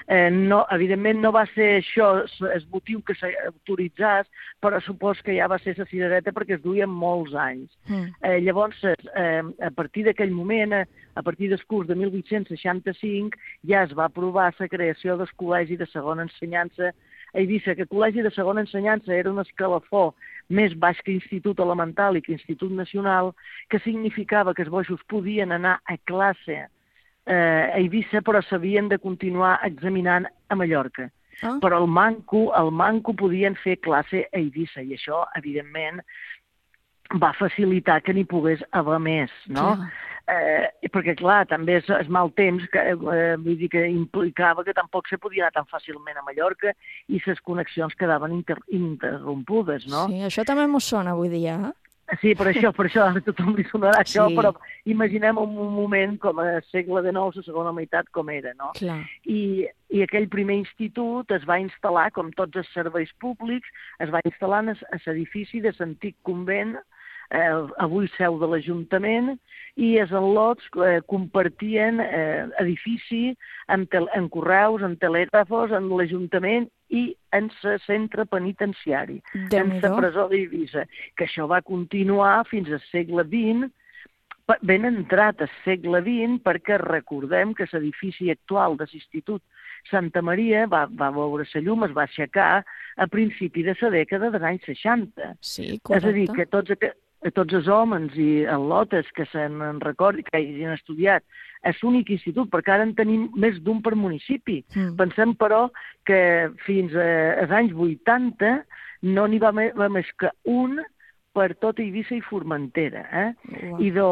Speaker 19: Eh, no, evidentment no va ser això el motiu que s'autoritzés, però supos que ja va ser la cirereta perquè es duien molts anys.
Speaker 9: Mm.
Speaker 19: Eh, llavors, eh, a partir d'aquell moment, a partir del curs de mil vuit-cents seixanta-cinc, ja es va aprovar la creació del col·legi de segona ensenyança a Eivissa, que el col·legi de segona ensenyança era un escalafó més baix que institut elemental i que institut nacional, que significava que els boixos podien anar a classe eh, a Eivissa, però s'havien de continuar examinant a Mallorca.
Speaker 9: Ah.
Speaker 19: Però el manco, el manco podien fer classe a Eivissa, i això, evidentment, va facilitar que n'hi pogués haver més, no?
Speaker 9: Clar.
Speaker 19: Eh, perquè, clar, també és, és mal temps, que, eh, vull dir que implicava que tampoc se podia anar tan fàcilment a Mallorca i les connexions quedaven inter interrompudes, no?
Speaker 9: Sí, això també m'ho sona avui dia, eh?
Speaker 19: sí, per això, per això, a tothom li sonarà
Speaker 9: Sí.
Speaker 19: això, però imaginem un moment com a segle dinou, la segona meitat, com era, no?
Speaker 9: Clar.
Speaker 19: I, I aquell primer institut es va instal·lar, com tots els serveis públics, es va instal·lar en l'edifici de l'antic convent, eh, avui seu de l'Ajuntament, i els al·lots eh, compartien eh, edifici en, tel en correus, en telègrafos, en l'Ajuntament i en el centre penitenciari, en la presó d'Eivissa, que això va continuar fins al segle vint, ben entrat al segle vint, perquè recordem que l'edifici actual de l'Institut Santa Maria va, va veure la llum, es va aixecar a principi de la dècada dels anys seixanta.
Speaker 9: Sí,
Speaker 19: correcte. És a dir, que tots, tots els homes i al·lotes que se'n recordin, que hagin estudiat, és l'únic institut, perquè ara en tenim més d'un per municipi. Mm. Pensem, però, que fins als anys vuitanta no n'hi va, va més que un per tot Eivissa i Formentera. Eh? Wow. I do,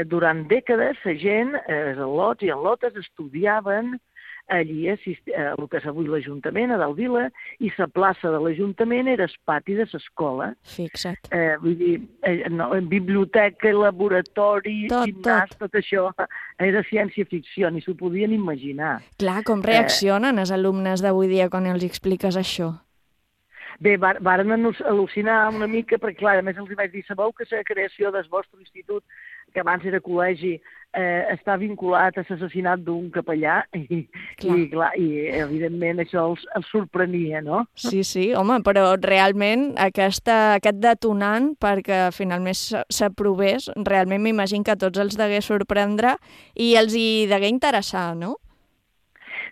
Speaker 19: durant dècades la gent, els al·lots i al·lotes, estudiaven allí a el que és avui l'Ajuntament, a Dalt Vila, i la plaça de l'Ajuntament era el pati de l'escola.
Speaker 9: Fixa't.
Speaker 19: Eh, vull dir, eh, no, biblioteca, laboratori, tot, gimnàs, tot. tot això era ciència-ficció, ni s'ho podien imaginar.
Speaker 9: Clar, com reaccionen eh, els alumnes d'avui dia quan els expliques això?
Speaker 19: Bé, varen al·lucinar una mica, perquè clar, a més els vaig dir, sabeu que la creació del vostre institut, que abans era col·legi, eh, està vinculat a l'assassinat d'un capellà, i, clar. I, clar, i evidentment això els, els sorprenia, no?
Speaker 9: Sí, sí, home, però realment aquesta, aquest detonant perquè finalment s'aprovés, realment m'imagino que a tots els degué sorprendre i els hi degué interessar, no?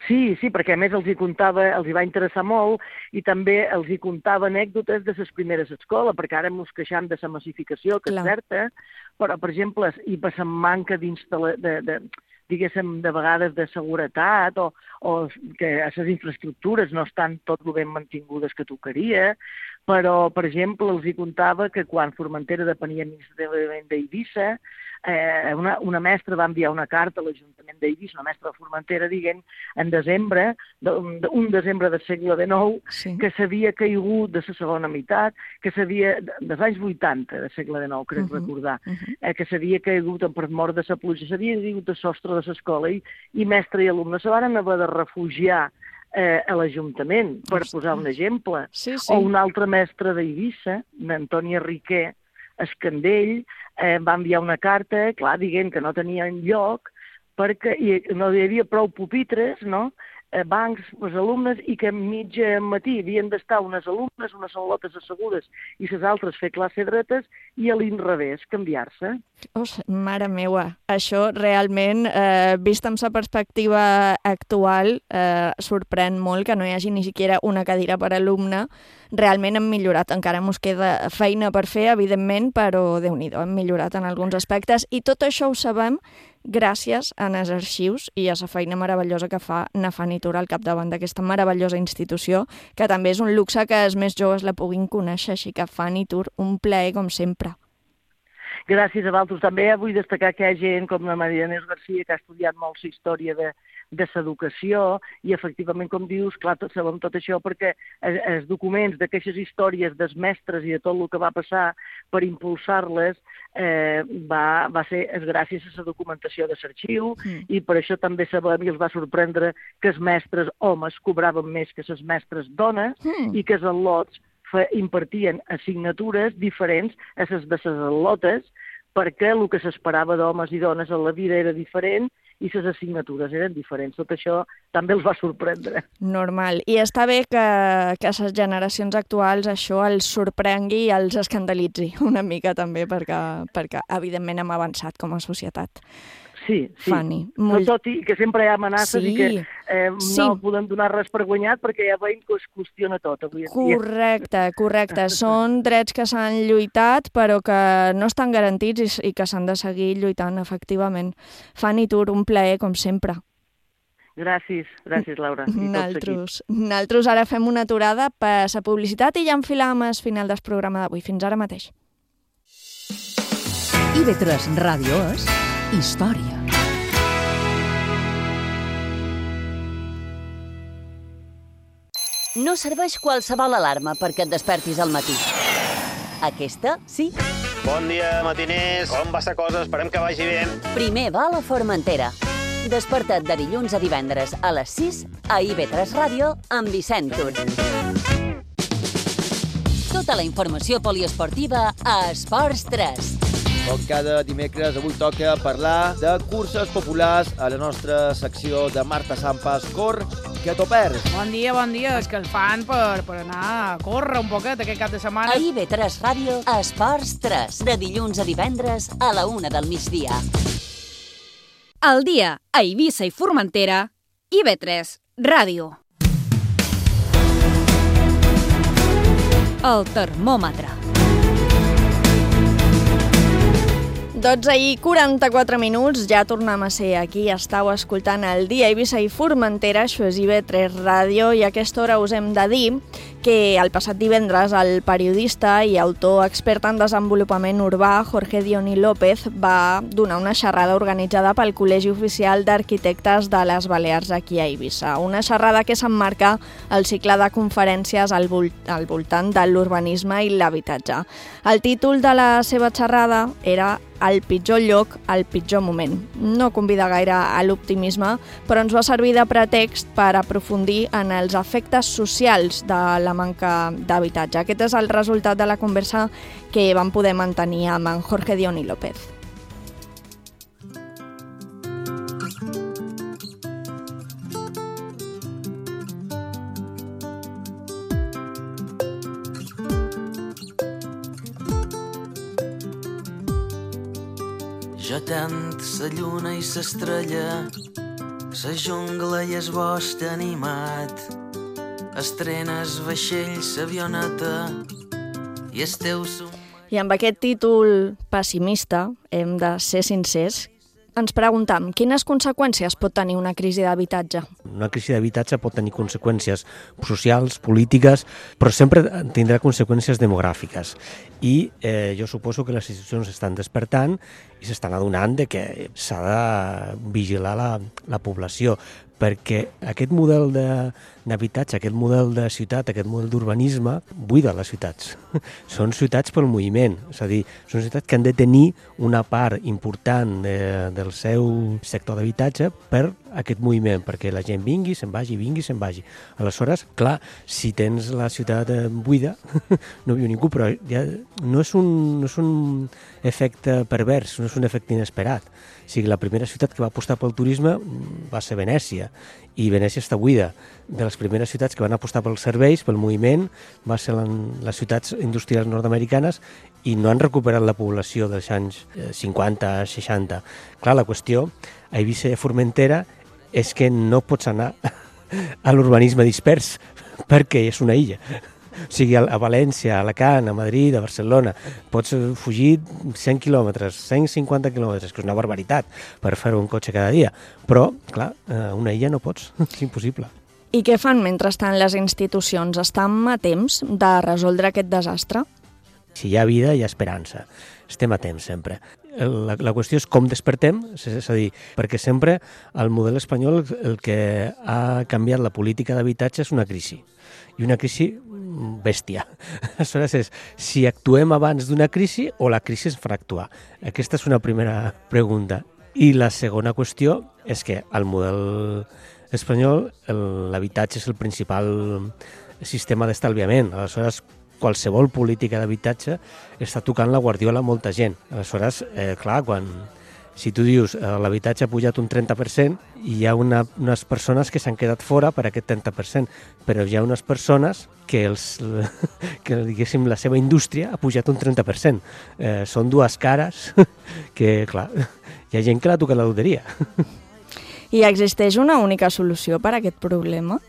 Speaker 19: Sí, sí, perquè a més els hi contava, els hi va interessar molt i també els hi contava anècdotes de les primeres escoles, perquè ara ens queixam de la massificació, que Clar. és certa, però, per exemple, i per la manca d'instal·lació, de, de, diguéssim, de vegades de seguretat o, o que les infraestructures no estan tot el ben mantingudes que tocaria, però, per exemple, els hi contava que quan Formentera depenia administrativament d'Eivissa, eh, una, una mestra va enviar una carta a l'Ajuntament d'Eivissa, una mestra de Formentera, dient en desembre, de, un desembre del segle dinou, sí. que s'havia caigut de la segona meitat, que s'havia, dels anys vuitanta del segle dinou, crec uh -huh. recordar, uh -huh. eh, que s'havia caigut per mort de la pluja, s'havia caigut de sostre de l'escola i, i mestre i alumne se van haver de refugiar eh, a l'Ajuntament, per Ostres. posar un exemple.
Speaker 9: Sí, sí.
Speaker 19: O un altre mestre d'Eivissa, Antònia Riquer Escandell, eh, va enviar una carta, clar, dient que no tenien lloc, perquè hi, no hi havia prou pupitres, no?, eh, bancs els alumnes, i que mig matí havien d'estar unes alumnes, unes al·lotes assegudes, i les altres fer classe dretes, i a l'inrevés, canviar-se.
Speaker 9: Oh, mare meua, això realment, eh, vist amb la perspectiva actual, eh, sorprèn molt que no hi hagi ni siquiera una cadira per alumne. Realment hem millorat, encara ens queda feina per fer, evidentment, però Déu-n'hi-do, hem millorat en alguns aspectes, i tot això ho sabem gràcies als arxius i a la feina meravellosa que fa Nafani Tur al capdavant d'aquesta meravellosa institució, que també és un luxe que els més joves la puguin conèixer, així que Fani Tur, un plaer com sempre.
Speaker 19: Gràcies a vosaltres. També vull destacar que hi ha gent com la Maria Inés Garcia, que ha estudiat molt la història de, de l'educació, i efectivament, com dius, clar, tot, sabem tot això perquè els, els documents d'aquestes històries dels mestres i de tot el que va passar per impulsar-les eh, va, va ser gràcies a la documentació de l'arxiu, mm. i per això també sabem, i els va sorprendre, que els mestres homes cobraven més que les mestres dones, mm. i que els al·lots impartien assignatures diferents a les de les al·lotes, perquè el que s'esperava d'homes i dones a la vida era diferent i les assignatures eren diferents. Tot això també els va sorprendre.
Speaker 9: Normal. I està bé que, que les generacions actuals això els sorprengui i els escandalitzi una mica també, perquè, perquè evidentment hem avançat com a societat.
Speaker 19: Sí, sí.
Speaker 9: Fani,
Speaker 19: molt... Tot i que sempre hi ha amenaces sí. i que eh,
Speaker 9: sí.
Speaker 19: no podem donar res per guanyat perquè ja veiem que es qüestiona tot avui en
Speaker 9: dia. Correcte, correcte. Són drets que s'han lluitat però que no estan garantits i, i que s'han de seguir lluitant, efectivament. Fani Tur, un plaer, com sempre.
Speaker 19: Gràcies, gràcies, Laura.
Speaker 9: Naltros, Naltros ara fem una aturada per la publicitat i ja enfilam al final del programa d'avui. Fins ara mateix.
Speaker 2: I V tres Ràdio és història.
Speaker 15: No serveix qualsevol alarma perquè et despertis al matí. Aquesta, sí.
Speaker 16: Bon dia, matiners. Com va la cosa? Esperem que vagi bé.
Speaker 15: Primer va a Formentera. Desperta't de dilluns a divendres a les sis a I B tres Ràdio amb Vicent Tur. Tota la informació poliesportiva a Esports tres.
Speaker 20: Com cada dimecres, avui toca parlar de curses populars a la nostra secció de Marta Sampas. Cor, que t'ho perds.
Speaker 3: Bon dia, bon dia. Escalfant per, per anar a córrer un poquet aquest cap de setmana.
Speaker 15: A I B tres Ràdio, Esports tres. De dilluns a divendres a la una del migdia.
Speaker 8: Al dia, a Eivissa i Formentera, I B tres Ràdio. El termòmetre.
Speaker 9: dotze i quaranta-quatre minuts, ja tornem a ser aquí. Estau escoltant el dia a Eivissa i Formentera, això és I B tres Ràdio, i a aquesta hora us hem de dir que el passat divendres el periodista i autor expert en desenvolupament urbà Jorge Dioni López va donar una xerrada organitzada pel Col·legi Oficial d'Arquitectes de les Balears aquí a Eivissa. Una xerrada que s'emmarca al cicle de conferències al, vol al voltant de l'urbanisme i l'habitatge. El títol de la seva xerrada era El pitjor lloc, el pitjor moment. No convida gaire a l'optimisme, però ens va servir de pretext per aprofundir en els efectes socials de la manca d'habitatge. Aquest és el resultat de la conversa que vam poder mantenir amb en Jorge Dioni López.
Speaker 18: Jo tant sa lluna i s'estrella, sa jungla i es bosc animat, estrenes vaixells, avioneta i el teu som...
Speaker 9: I amb aquest títol pessimista, hem de ser sincers, ens preguntam quines conseqüències pot tenir una crisi d'habitatge.
Speaker 21: Una crisi d'habitatge pot tenir conseqüències socials, polítiques, però sempre tindrà conseqüències demogràfiques. I eh, jo suposo que les institucions estan despertant i s'estan adonant de que s'ha de vigilar la, la població, perquè aquest model d'habitatge, aquest model de ciutat, aquest model d'urbanisme, buida les ciutats. Són ciutats pel moviment, és a dir, són ciutats que han de tenir una part important de, del seu sector d'habitatge per aquest moviment, perquè la gent vingui, se'n vagi, vingui, se'n vagi. Aleshores, clar, si tens la ciutat buida, no viu ningú, però ja no és un, no és un efecte pervers, no és un efecte inesperat. O sigui, la primera ciutat que va apostar pel turisme va ser Venècia, i Venècia està buida. De les primeres ciutats que van apostar pels serveis, pel moviment, va ser les ciutats industrials nord-americanes i no han recuperat la població dels anys cinquanta, seixanta. Clar, la qüestió a Eivissa i Formentera és que no pots anar a l'urbanisme dispers perquè és una illa. O sigui, a València, a Alacant, a Madrid, a Barcelona, pots fugir cent quilòmetres, cent cinquanta quilòmetres, que és una barbaritat per fer un cotxe cada dia. Però, clar, una illa no pots, és impossible.
Speaker 9: I què fan mentrestant les institucions? Estan a temps de resoldre aquest desastre?
Speaker 21: Si hi ha vida, hi ha esperança. Estem a temps, sempre. La, la qüestió és com despertem, és a dir, perquè sempre el model espanyol el que ha canviat la política d'habitatge és una crisi. I una crisi bèstia. Aleshores és si actuem abans d'una crisi o la crisi es farà actuar. Aquesta és una primera pregunta. I la segona qüestió és que al model espanyol l'habitatge és el principal sistema d'estalviament. Aleshores, qualsevol política d'habitatge està tocant la guardiola a molta gent. Aleshores, eh, clar, quan... Si tu dius eh, l'habitatge ha pujat un trenta per cent, hi ha una, unes persones que s'han quedat fora per aquest trenta per cent, però hi ha unes persones que, els, que diguéssim, la seva indústria ha pujat un trenta per cent. Eh, són dues cares que, clar, hi ha gent que l'ha tocat la loteria.
Speaker 9: I existeix una única solució per a aquest problema?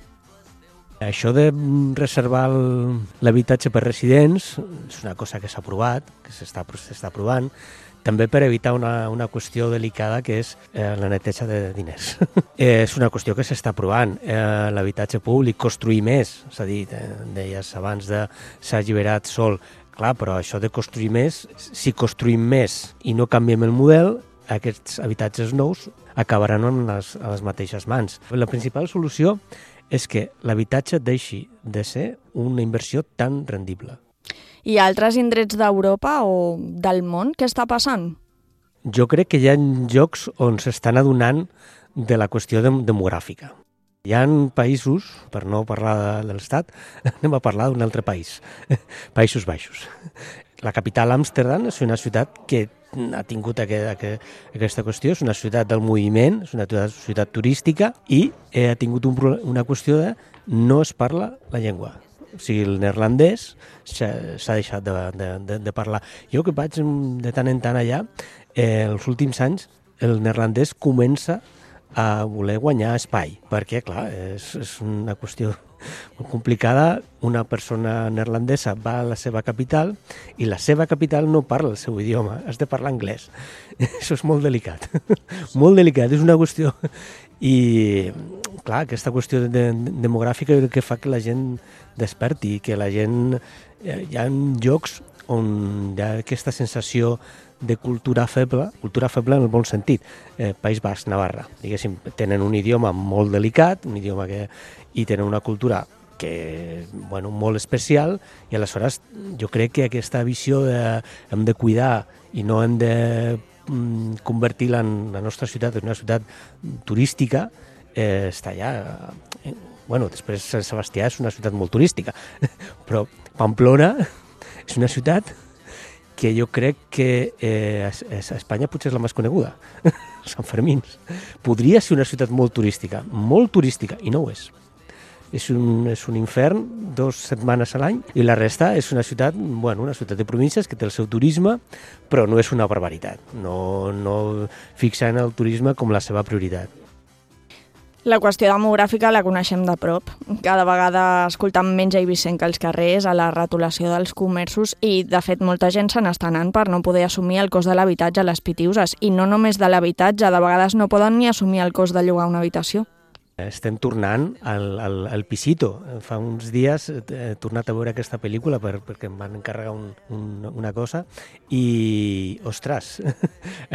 Speaker 21: Això de reservar l'habitatge per residents és una cosa que s'ha aprovat, que s'està aprovant, també per evitar una, una qüestió delicada que és eh, la neteja de diners. eh, és una qüestió que s'està aprovant. Eh, l'habitatge públic, construir més, és a dir, eh, deies abans de s'ha alliberat sol. Clar, però això de construir més, si construïm més i no canviem el model, aquests habitatges nous acabaran en les, a les mateixes mans. La principal solució és que l'habitatge deixi de ser una inversió tan rendible.
Speaker 9: I altres indrets d'Europa o del món, què està passant?
Speaker 21: Jo crec que hi ha llocs on s'estan adonant de la qüestió de, demogràfica. Hi ha països, per no parlar de, de l'Estat, anem a parlar d'un altre país, Països Baixos. La capital, Amsterdam, és una ciutat que ha tingut aquest, aquest, aquesta qüestió, és una ciutat del moviment, és una ciutat, ciutat turística i eh, ha tingut un, una qüestió de no es parla la llengua. O sigui, el neerlandès s'ha deixat de, de, de, de parlar. Jo que vaig de tant en tant allà, eh, els últims anys, el neerlandès comença a voler guanyar espai, perquè, clar, és, és una qüestió molt complicada. Una persona neerlandesa va a la seva capital i la seva capital no parla el seu idioma, has de parlar anglès. Això és molt delicat, molt delicat, és una qüestió. I, clar, aquesta qüestió de, de, demogràfica és el que fa que la gent desperti, que la gent... Hi ha llocs on hi ha aquesta sensació de cultura feble, cultura feble en el bon sentit, eh, País Basc, Navarra, diguéssim, tenen un idioma molt delicat, un idioma que... i tenen una cultura que, bueno, molt especial, i aleshores jo crec que aquesta visió de hem de cuidar i no hem de mm, convertir la, la nostra ciutat en una ciutat turística, eh, està allà. Eh, bueno, després Sant Sebastià és una ciutat molt turística, però Pamplona és una ciutat que jo crec que eh, a Espanya potser és la més coneguda, Sant Fermins. Podria ser una ciutat molt turística, molt turística, i no ho és. És un, és un infern, dues setmanes a l'any, i la resta és una ciutat, bueno, una ciutat de províncies que té el seu turisme, però no és una barbaritat. No, no fixa en el turisme com la seva prioritat.
Speaker 9: La qüestió demogràfica la coneixem de prop. Cada vegada escoltam menys eivissenca als carrers, a la retolació dels comerços i, de fet, molta gent se n'està anant per no poder assumir el cost de l'habitatge a les Pitiuses. I no només de l'habitatge, de vegades no poden ni assumir el cost de llogar una habitació.
Speaker 21: Estem tornant al, al, al Pisito. Fa uns dies he tornat a veure aquesta pel·lícula per, perquè em van encarregar un, un, una cosa i, ostres,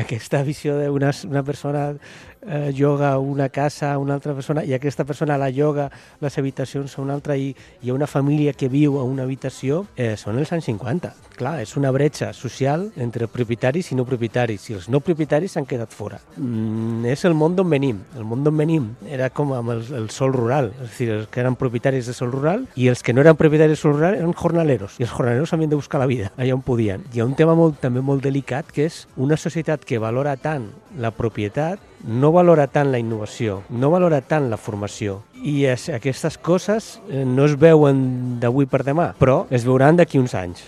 Speaker 21: aquesta visió d'una una persona eh, lloga una casa a una altra persona i aquesta persona la lloga les habitacions a una altra i hi ha una família que viu a una habitació, eh, són els anys cinquanta. Clar, és una bretxa social entre propietaris i no propietaris, i els no propietaris s'han quedat fora. Mm, és el món d'on venim. El món d'on venim era com amb el, el sol rural, és a dir, els que eren propietaris de sol rural i els que no eren propietaris de sol rural eren jornaleros, i els jornaleros havien de buscar la vida allà on podien. Hi ha un tema molt, també molt delicat, que és una societat que valora tant la propietat, no valora tant la innovació, no valora tant la formació. I es, aquestes coses eh, no es veuen d'avui per demà, però es veuran d'aquí uns anys.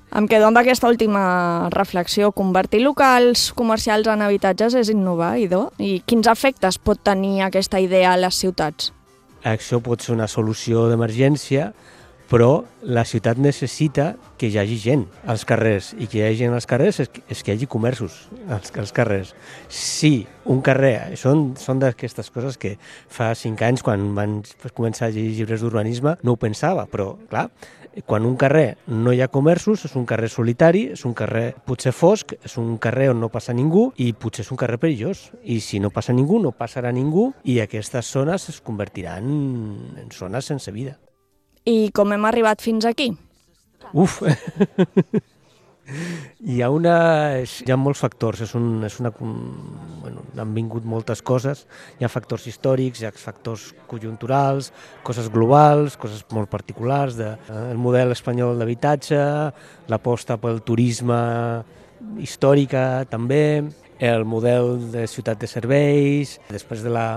Speaker 9: Em quedo amb aquesta última reflexió. Convertir locals comercials en habitatges és innovar, Idó? I quins efectes pot tenir aquesta idea a les ciutats?
Speaker 21: Això pot ser una solució d'emergència, però la ciutat necessita que hi hagi gent als carrers, i que hi hagi gent als carrers és que, és que hi hagi comerços als, als carrers. Sí, un carrer, són, són d'aquestes coses que fa cinc anys, quan van començar a llegir llibres d'urbanisme, no ho pensava, però, clar, quan un carrer no hi ha comerços, és un carrer solitari, és un carrer potser fosc, és un carrer on no passa ningú i potser és un carrer perillós. I si no passa ningú, no passarà ningú i aquestes zones es convertiran en zones sense vida.
Speaker 9: I com hem arribat fins aquí?
Speaker 21: Uf! Hi ha, una, hi ha molts factors, és un, és una, bueno, han vingut moltes coses, hi ha factors històrics, hi ha factors conjunturals, coses globals, coses molt particulars, de, el model espanyol d'habitatge, l'aposta pel turisme històrica també, el model de ciutat de serveis, després de la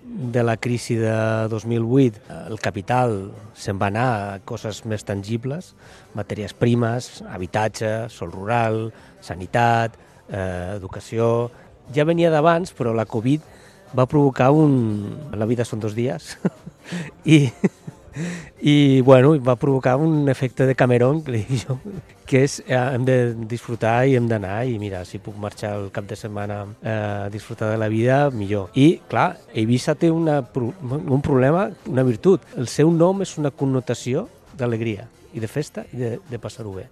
Speaker 21: de la crisi de dos mil vuit, el capital se'n va anar a coses més tangibles, matèries primes, habitatge, sol rural, sanitat, eh, educació. Ja venia d'abans, però la Covid va provocar un... La vida són dos dies. I, i bueno, va provocar un efecte de Cameron, que li dic jo, que és eh, hem de disfrutar i hem d'anar, i mira, si puc marxar el cap de setmana eh, a disfrutar de la vida, millor. I, clar, Eivissa té una, un problema, una virtut. El seu nom és una connotació d'alegria i de festa i de, de passar-ho bé.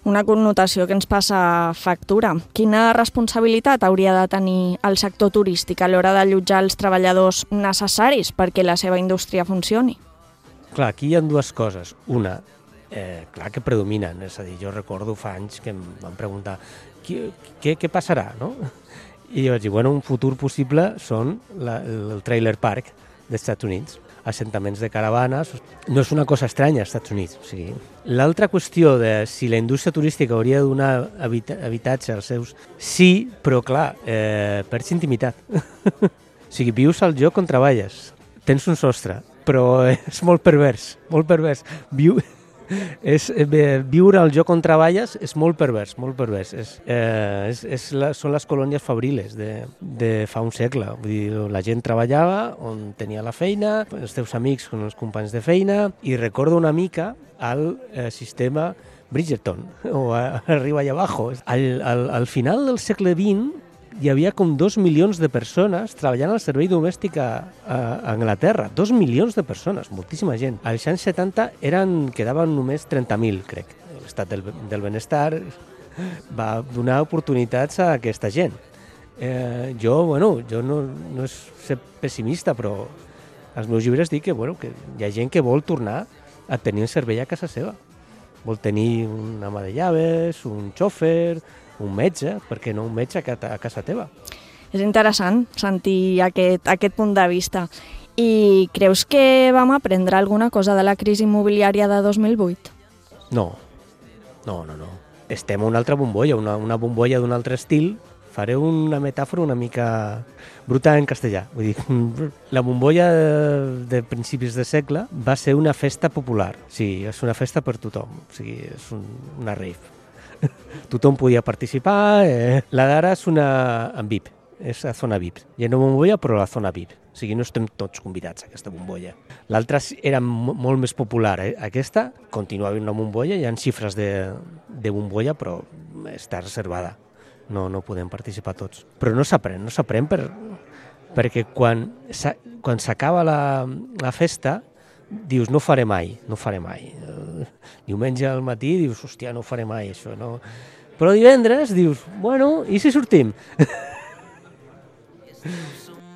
Speaker 9: Una connotació que ens passa factura. Quina responsabilitat hauria de tenir el sector turístic a l'hora d'allotjar els treballadors necessaris perquè la seva indústria funcioni?
Speaker 21: Clar, aquí hi ha dues coses. Una, eh, clar que predominen. És a dir, jo recordo fa anys que em van preguntar què, què, què passarà, no? I jo vaig dir, bueno, un futur possible són la, el trailer park dels Estats Units, assentaments de caravanes. No és una cosa estranya als Estats Units. O sigui, l'altra qüestió de si la indústria turística hauria de donar habita habitatge als seus... Sí, però clar, eh, perds intimitat. O sigui, vius al lloc on treballes, tens un sostre, però és molt pervers, molt pervers. Viu... És, eh, viure al lloc on treballes és molt pervers, molt pervers. És, eh, és, és la, són les colònies fabriles de, de fa un segle. Vull dir, la gent treballava on tenia la feina, els teus amics són els companys de feina, i recordo una mica el eh, sistema Bridgerton, o a, arriba i abajo. Al, al, al final del segle vint hi havia com dos milions de persones treballant al servei domèstic a, a Anglaterra. Dos milions de persones, moltíssima gent. Als anys setanta eren, quedaven només trenta mil, crec. L'estat del, del benestar va donar oportunitats a aquesta gent. Eh, jo, bueno, jo no, no és ser pessimista, però als meus llibres dic que, bueno, que hi ha gent que vol tornar a tenir un servei a casa seva. Vol tenir una ama de llaves, un xòfer, un metge, perquè no un metge a casa teva.
Speaker 9: És interessant sentir aquest, aquest punt de vista. I creus que vam aprendre alguna cosa de la crisi immobiliària de dos mil vuit?
Speaker 21: No, no, no, no. Estem a una altra bombolla, una, una bombolla d'un altre estil. Faré una metàfora una mica bruta en castellà. Vull dir, la bombolla de, de principis de segle va ser una festa popular. Sí, és una festa per tothom. O sigui, és un, una rave. Tothom podia participar. Eh. La d'ara és una en V I P, és a zona V I P. Hi ha una bombolla, però a la zona V I P. O sigui, no estem tots convidats a aquesta bombolla. L'altra era molt més popular. Eh. Aquesta continua havent una bombolla, hi ha xifres de, de bombolla, però està reservada. No, no podem participar tots. Però no s'aprèn, no s'aprèn per, perquè quan s'acaba la, la festa dius, no faré mai, no faré mai. Diumenge al matí dius, hòstia, no faré mai això, no. Però divendres dius, bueno, i si sortim?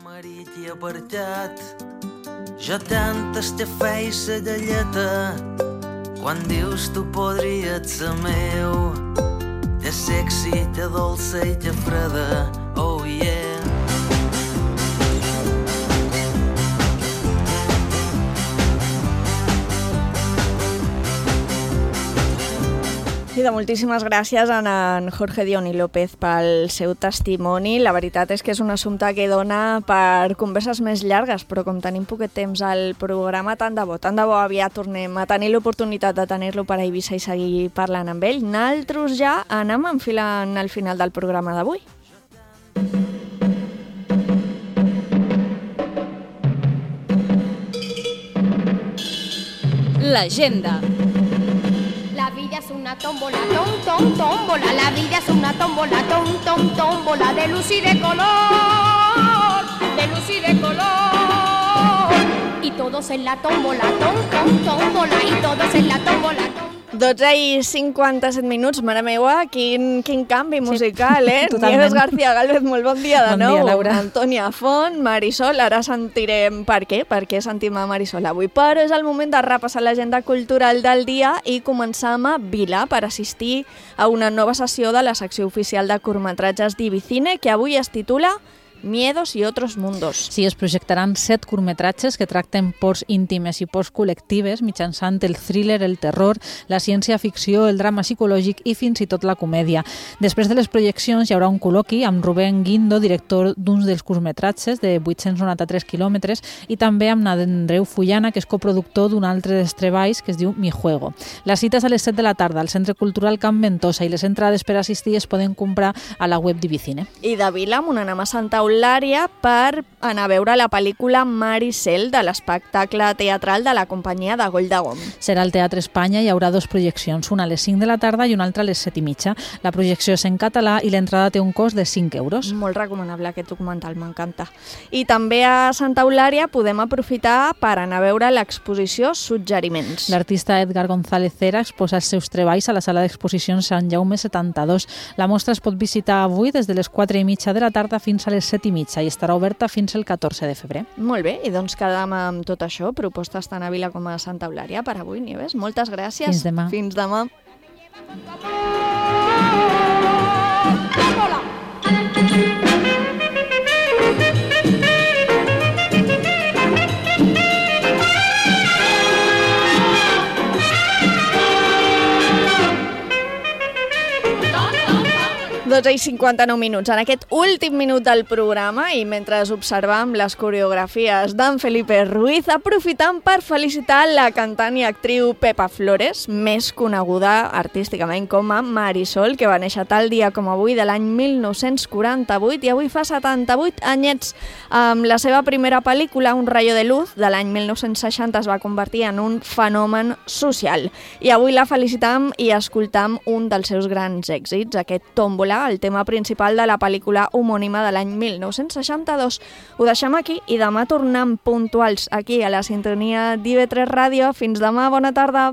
Speaker 18: Marit i apartat, jo tantes te feia sa galleta, quan dius tu podries ser meu, te sexy, te dolça i te freda, oh yeah.
Speaker 9: I de moltíssimes gràcies a en Jorge Dioni López pel seu testimoni. La veritat és que és un assumpte que dona per converses més llargues, però com tenim poquet temps al programa, tant de bo, tant de bo aviat tornem a tenir l'oportunitat de tenir-lo per a Eivissa i seguir parlant amb ell. Naltros ja anem enfilant al final del programa d'avui.
Speaker 8: L'agenda.
Speaker 1: La vida es una tómbola, tom, tom, tómbola. La vida es una tómbola, tom, tom, tómbola. De luz y de color, de luz y de color. Y todos en la tómbola, tom, tom, tómbola. Y todos en la tómbola, tom.
Speaker 9: dotze i cinquanta-set minuts, mare meua, quin, quin canvi musical, eh?
Speaker 10: Totalment.
Speaker 9: Nieves García Gálvez, molt bon dia de
Speaker 10: Bon
Speaker 9: nou.
Speaker 10: dia, Laura.
Speaker 9: Antònia Font, Marisol, ara sentirem per què, per què sentim a Marisol avui, però és el moment de repassar l'agenda cultural del dia i començar amb Vila per assistir a una nova sessió de la secció oficial de curtmetratges d'Ibicine que avui es titula Miedos y otros mundos.
Speaker 10: Sí, es projectaran set curtmetratges que tracten pors íntimes i pors col·lectives mitjançant el thriller, el terror, la ciència-ficció, el drama psicològic i fins i tot la comèdia. Després de les projeccions hi haurà un col·loqui amb Rubén Guindo, director d'uns dels curtmetratges de vuit-cents noranta-tres quilòmetres, i també amb Andreu Fullana, que és coproductor d'un altre dels treballs que es diu Mi Juego. La cita és a les set de la tarda al Centre Cultural Can Ventosa i les entrades per assistir es poden comprar a la web d'Ibicine.
Speaker 9: I de Vila, amb una anem a Santa Eulària per anar a veure la pel·lícula Maricel de l'espectacle teatral de la companyia de Goll de Gom.
Speaker 10: Serà al Teatre Espanya, hi haurà dues projeccions, una a les cinc de la tarda i una altra a les set i mitja. La projecció és en català i l'entrada té un cost de cinc euros.
Speaker 9: Molt recomanable aquest documental, m'encanta. I també a Santa Eulària podem aprofitar per anar a veure l'exposició Suggeriments.
Speaker 10: L'artista Edgar González Cera exposa els seus treballs a la sala d'exposicions Sant Jaume setanta-dos. La mostra es pot visitar avui des de les quatre i mitja de la tarda fins a les set set i mitja i estarà oberta fins el catorze de febrer.
Speaker 9: Molt bé, i doncs quedam amb tot això, propostes tant a Vila com a Santa Eulària per avui, Nieves. Moltes gràcies.
Speaker 10: Fins demà.
Speaker 9: Fins demà. dotze i cinquanta-nou minuts. En aquest últim minut del programa i mentre observam les coreografies d'en Felipe Ruiz, aprofitam per felicitar la cantant i actriu Pepa Flores, més coneguda artísticament com a Marisol, que va néixer tal dia com avui de l'any mil nou-cents quaranta-vuit i avui fa setanta-vuit anyets. Amb la seva primera pel·lícula, Un rayo de luz, de l'any mil nou-cents seixanta, es va convertir en un fenomen social. I avui la felicitam i escoltam un dels seus grans èxits, aquest Tómbola, el tema principal de la pel·lícula homònima de l'any mil nou-cents seixanta-dos. Ho deixem aquí i demà tornem puntuals aquí a la sintonia d'I V tres Ràdio. Fins demà, bona tarda.